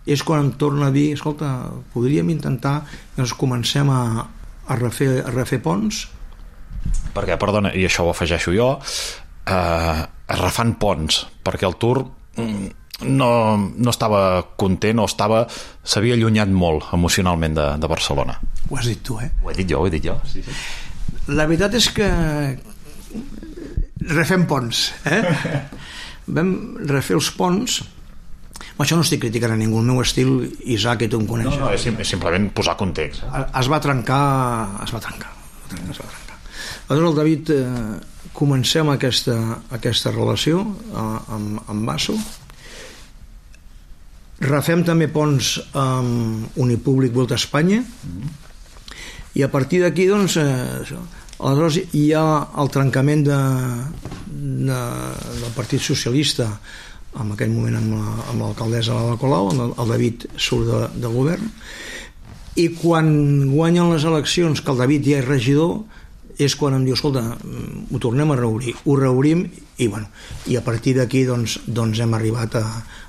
és quan em torna a dir, escolta, podríem intentar que ens comencem a, a, refer, a refer ponts?
Perquè, perdona, i això ho afegeixo jo, eh, es refan ponts, perquè el Tour no, no estava content o estava, s'havia allunyat molt emocionalment de, de Barcelona.
Ho has dit tu, eh?
Ho he dit jo, ho he dit jo. Sí, sí.
La veritat és que refem ponts, eh? Vam refer els ponts. Això no estic criticant a ningú, el meu estil, Isaac, i tu em coneixes.
No, no, és, sim, és simplement posar context.
Eh? Es va trencar, es va trencar. Es va trencar. Aleshores el David eh, comencem aquesta, aquesta relació eh, amb, amb Basso. Refem també ponts amb Unipúblic Volta a Espanya, mm-hmm. i a partir d'aquí, doncs, eh, això. Aleshores hi ha el trencament de, de, del Partit Socialista, en aquell moment amb l'alcaldessa Ada Colau, el, el David surt de, de govern, i quan guanyen les eleccions, que el David ja és regidor, és quan em diu, escolta, ho tornem a reobrir, ho reobrim, i, bueno, i a partir d'aquí doncs, doncs hem arribat a,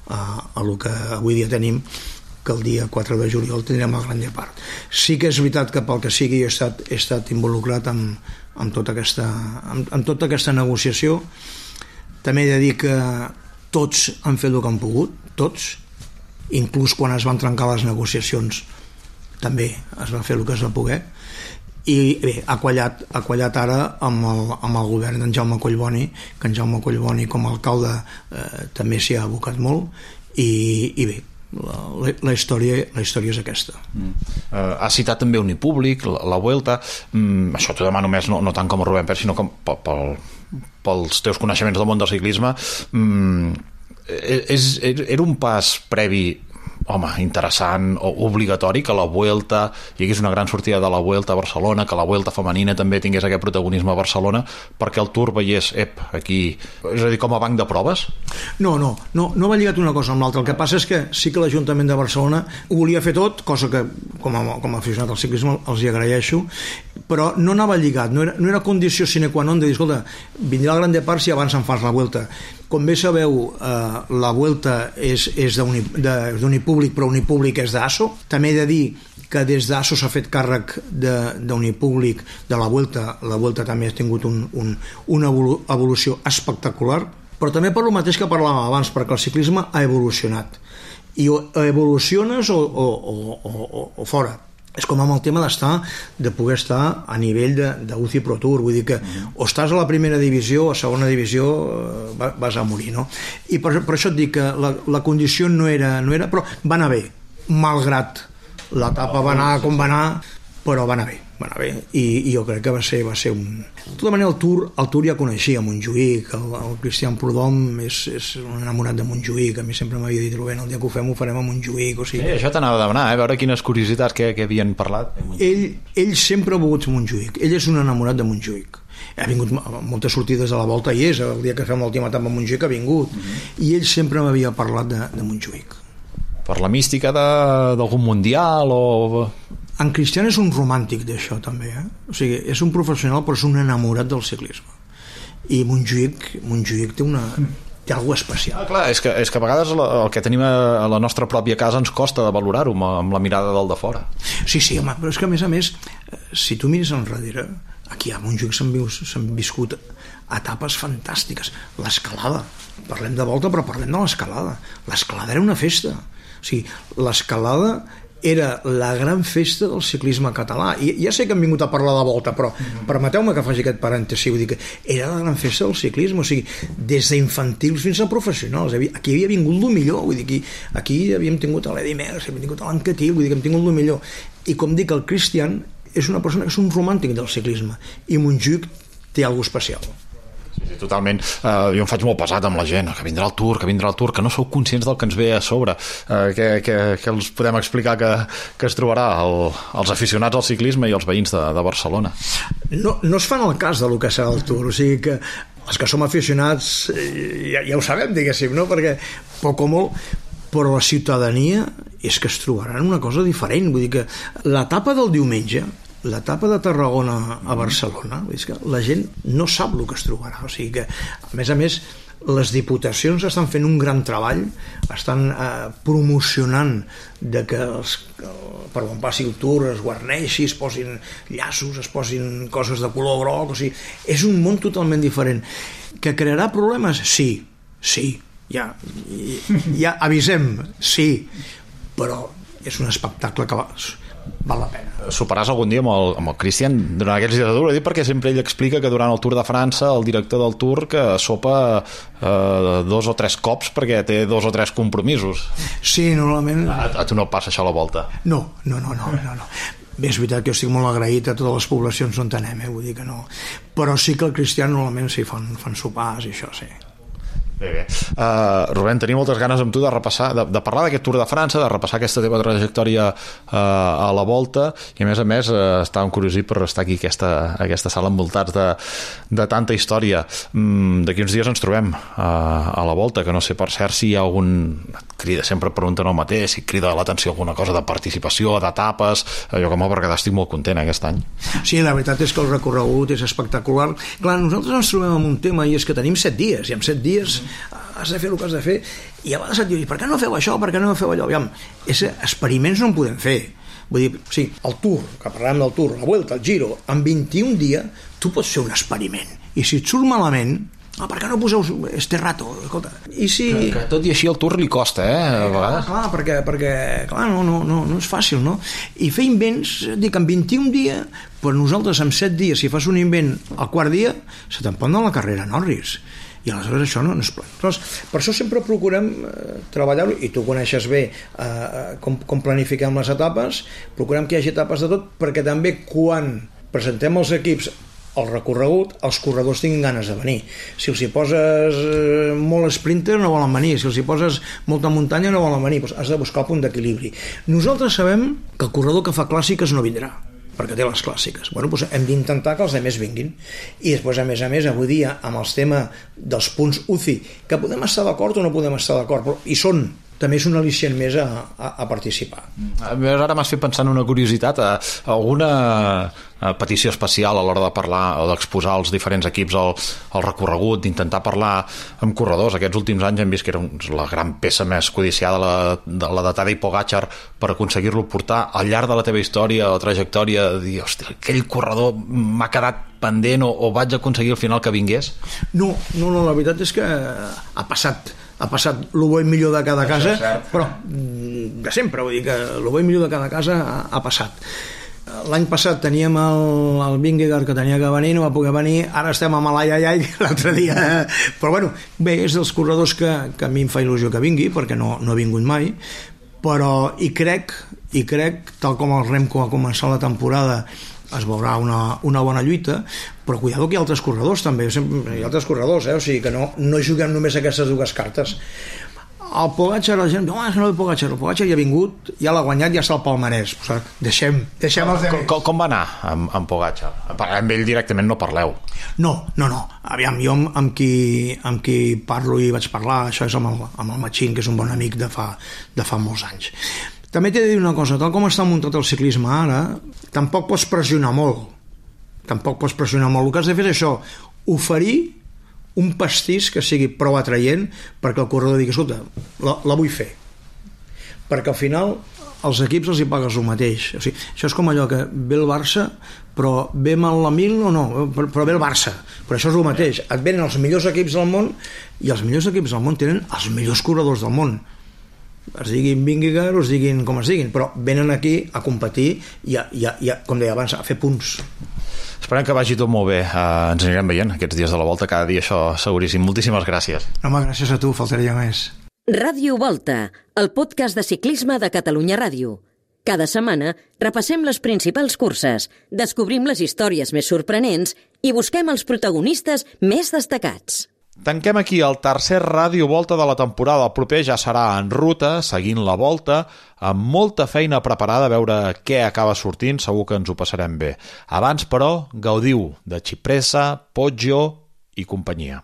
a, a lo que avui dia tenim, que el dia quatre de juliol tindrem el Gran Depart. Sí que és veritat que pel que sigui he estat, he estat involucrat amb, amb, tota aquesta, amb, amb tota aquesta negociació. També he de dir que tots han fet el que han pogut, tots, inclús quan es van trencar les negociacions també es va fer el que es va poder, i bé, ha quallat, ha quallat ara amb el, amb el govern d'en Jaume Collboni, que en Jaume Collboni com a alcalde eh, també s'hi ha abocat molt, i, i bé, La, la, la, història, la història és aquesta.
Mm. Uh, has citat també Unipúblic, la, la Vuelta, mm, això t'ho demano més no, no tant com a Rubén Pérez, sinó com pel, pels teus coneixements del món del ciclisme. Mm, és, era un pas previ, home, interessant o obligatori que la Vuelta hi hagués una gran sortida de la Vuelta a Barcelona, que la Vuelta femenina també tingués aquest protagonisme a Barcelona, perquè el Tour veiés, ep, aquí, és a dir, com a banc de proves?
No, no, no, no va lligat una cosa amb l'altra. El que passa és que sí que l'Ajuntament de Barcelona ho volia fer tot, cosa que com a, com a aficionat al ciclisme els hi agraeixo, però no anava lligat, no era, no era condició sine qua non de dir, escolta, vindrà el Gran Depart si abans en fas la Vuelta. Com bé sabeu, eh, la Vuelta és, és d'Unipúblic, però Unipúblic és d'Asso. També he de dir que des d'Asso s'ha fet càrrec d'Unipúblic de la Vuelta. La Vuelta també ha tingut un, un, una evolució espectacular, però també per lo mateix que parlàvem abans, perquè el ciclisme ha evolucionat. I o evoluciones o, o, o, o, o fora. és com amb el tema d'estar, de poder estar a nivell d'U C I Pro Tour, vull dir que mm. o estàs a la primera divisió o a segona divisió eh, vas a morir, no? I per, per això et dic que la, la condició no era, no era, però va anar bé, malgrat l'etapa va anar com va anar, però va anar bé, va anar bé, i, i jo crec que va ser, va ser un... De tota manera, el Tour, el Tour ja coneixia Montjuïc, el, el Cristian Prudhomme és, és un enamorat de Montjuïc, a mi sempre m'havia dit, Rubén, el dia que ho fem ho farem a Montjuïc, o sigui...
Sí, això t'anava a demanar, eh? A veure quines curiositats que, que havien parlat.
Ell, ell sempre ha volgut Montjuïc, ell és un enamorat de Montjuïc. Ha vingut moltes sortides a la volta i és, el dia que fem l'última etapa a Montjuïc ha vingut, mm-hmm. i ell sempre m'havia parlat de, de Montjuïc.
Per la mística d'algun mundial o...
En Cristian és un romàntic d'això també, eh? O sigui, és un professional però és un enamorat del ciclisme, i Montjuïc, Montjuïc té una té alguna especial.
Ah, clar, és que, és que a vegades la, el que tenim a la nostra pròpia casa ens costa de valorar-ho amb, amb la mirada del de fora.
Sí, sí, home, però és que a més a més si tu mires enrere, aquí a Montjuïc s'han viscut etapes fantàstiques, l'escalada, parlem de volta però parlem de l'escalada, l'escalada era una festa, o sigui, l'escalada era la gran festa del ciclisme català, i ja sé que hem vingut a parlar de volta, però mm-hmm. permeteu-me que faci aquest parèntesi, vull dir que era la gran festa del ciclisme, o sigui, des d'infantils fins a professionals, aquí havia vingut el millor, vull dir, aquí, aquí havíem tingut l'Edi Merckx, havíem tingut l'Anquetil, vull dir que hem tingut el millor, i com dic, el Cristian és una persona que és un romàntic del ciclisme, i Montjuïc té alguna cosa especial.
Sí, sí, totalment. Uh, jo em faig molt pesat amb la gent, que vindrà el Tour, que vindrà el Tour, que no sou conscients del que ens ve a sobre, uh, que, que, que els podem explicar que, que es trobarà el, els aficionats al ciclisme i els veïns de, de Barcelona.
No, no es fan el cas del que serà el Tour, o sigui que els que som aficionats ja, ja ho sabem, diguéssim, no? Perquè poc o molt, però la ciutadania és que es trobaran una cosa diferent, vull dir que l'etapa del diumenge, l'etapa de Tarragona a Barcelona, és que la gent no sap el que es trobarà, o sigui que a més a més les diputacions estan fent un gran treball, estan eh, promocionant de que els, per on passi el Tour es guarneixi, es posin llaços, es posin coses de color groc, o sigui, és un món totalment diferent. Que crearà problemes? Sí, sí, ja, ja avisem, sí, però és un espectacle que va, val la pena.
Soparàs algun dia amb el, amb el Cristian durant aquests dies de Tour, perquè sempre ell explica que durant el Tour de França el director del Tour que sopa eh, dos o tres cops perquè té dos o tres compromisos.
Sí, normalment...
A, a tu no passa això a la volta?
No, no, no, no, no, no. Bé, és veritat que jo estic molt agraït a totes les poblacions on anem, eh? Vull dir que no, però sí que el Cristian normalment sí fan, fan sopars i això, sí.
Bé, bé. Uh, Rubén, tenia moltes ganes amb tu de repassar, de, de parlar d'aquest Tour de França, de repassar aquesta teva trajectòria uh, a la volta, i a més a més uh, estàvem curiosi per estar aquí aquesta, aquesta sala envoltats de, de tanta història. Mm, d'aquí uns dies ens trobem uh, a la volta, que no sé per cert si hi ha algun... crida, sempre pregunten el mateix, si crida l'atenció alguna cosa de participació, d'etapes, uh, jo com a perquè estic molt content aquest any.
Sí, la veritat és que el recorregut és espectacular. Clar, nosaltres ens trobem amb un tema i és que tenim set dies, i en set dies has de fer el que has de fer, i a vegades et dius, per què no feu això, per què no feu allò? Aviam, és, experiments no en podem fer, vull dir, sí, el Tour, que parlàvem del Tour, la Vuelta, el Giro, en vint-i-un dies tu pots fer un experiment, i si et surt malament, ah, per què no poseu este rato, escolta, i si...
Que, que tot i així el Tour li costa, eh, a vegades.
Clar, perquè, perquè clar, no, no, no, no és fàcil, no? I fer invents, dic, en vint-i-un dies, però nosaltres en set dies, si fas un invent al quart dia, se te'n pot anar la carrera Norris, i aleshores això no, no és pla. Per això sempre procurem eh, treballar-ho, i tu coneixes bé eh, com, com planifiquem les etapes, procurem que hi hagi etapes de tot, perquè també quan presentem els equips el recorregut, els corredors tinguin ganes de venir. Si els hi poses eh, molt sprinter no volen venir, si els hi poses molta muntanya no volen venir, doncs has de buscar el punt d'equilibri. Nosaltres sabem que el corredor que fa clàssiques no vindrà, perquè té les clàssiques. Bueno, doncs hem d'intentar que els altres vinguin. I després, a més a més, avui dia, amb el tema dels punts U C I, que podem estar d'acord o no podem estar d'acord, però hi són, també és un al·licient més a, a, a participar.
A més, ara m'has fet pensar en una curiositat, a, a alguna a petició especial a l'hora de parlar o d'exposar els diferents equips al, al recorregut, d'intentar parlar amb corredors. Aquests últims anys hem vist que era un, la gran peça més codiciada, la, de, la de Tadej Pogačar, per aconseguir-lo portar al llarg de la teva història o trajectòria, de dir, hòstia, aquell corredor m'ha quedat pendent o, o vaig aconseguir al final que vingués?
No, no, no, la veritat és que ha passat ha passat el bo i millor de cada casa, però de sempre, vull dir que el bo i millor de cada casa ha, ha passat. L'any passat teníem el, el Vingegaard que tenia que venir, no va poder venir, ara estem amb l'ai-ai-ai l'altre dia, però bueno, bé, és dels corredors que, que a mi em fa il·lusió que vingui, perquè no, no ha vingut mai, però i crec, i crec, tal com el Remco ha començat la temporada, es veurà una, una bona lluita, però cuidado que hi ha altres corredors també, hi ha altres corredors, eh? O sigui que no, no juguem només aquestes dues cartes. El Pogačar, la gent, no, és no el Pogačar, el Pogačar ja ha vingut, ja l'ha guanyat, ja està al palmarès. O sigui, deixem, deixem els
com, com, com va anar amb, amb Pogačar? Amb ell directament no parleu.
No, no, no. Aviam, jo amb, amb, qui, amb qui parlo i vaig parlar, això és amb el, amb el Machín, que és un bon amic de fa, de fa molts anys. També t'he de dir una cosa, tal com està muntat el ciclisme ara, tampoc pots pressionar molt. Tampoc pots pressionar molt. El que has de fer és això, oferir un pastís que sigui prou atraient perquè el corredor digui, escolta, la, la vull fer. Perquè al final els equips els hi pagues el mateix. O sigui, això és com allò que ve el Barça, però ve mal la Mil o no, però ve el Barça. Però això és el mateix. Et venen els millors equips del món i els millors equips del món tenen els millors corredors del món. Es diguin Vingegaard o es diguin com es diguin, però venen aquí a competir i, a, i, a, i a, com deia abans, a fer punts.
Esperem que vagi tot molt bé. Uh, ens anirem veient aquests dies de la Volta cada dia, això seguríssim. Moltíssimes gràcies.
Home, gràcies a tu, faltaria més.
Ràdio Volta, el podcast de ciclisme de Catalunya Ràdio. Cada setmana repassem les principals curses, descobrim les històries més sorprenents i busquem els protagonistes més destacats.
Tanquem aquí el tercer Ràdio Volta de la temporada. El proper ja serà en ruta, seguint la Volta, amb molta feina preparada a veure què acaba sortint, segur que ens ho passarem bé. Abans, però, gaudiu de Cipressa, Poggio i companyia.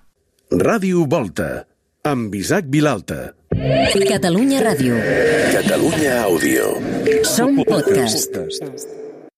Ràdio Volta, amb Isaac Vilalta.
Catalunya Ràdio.
Catalunya Àudio.
Som podcast.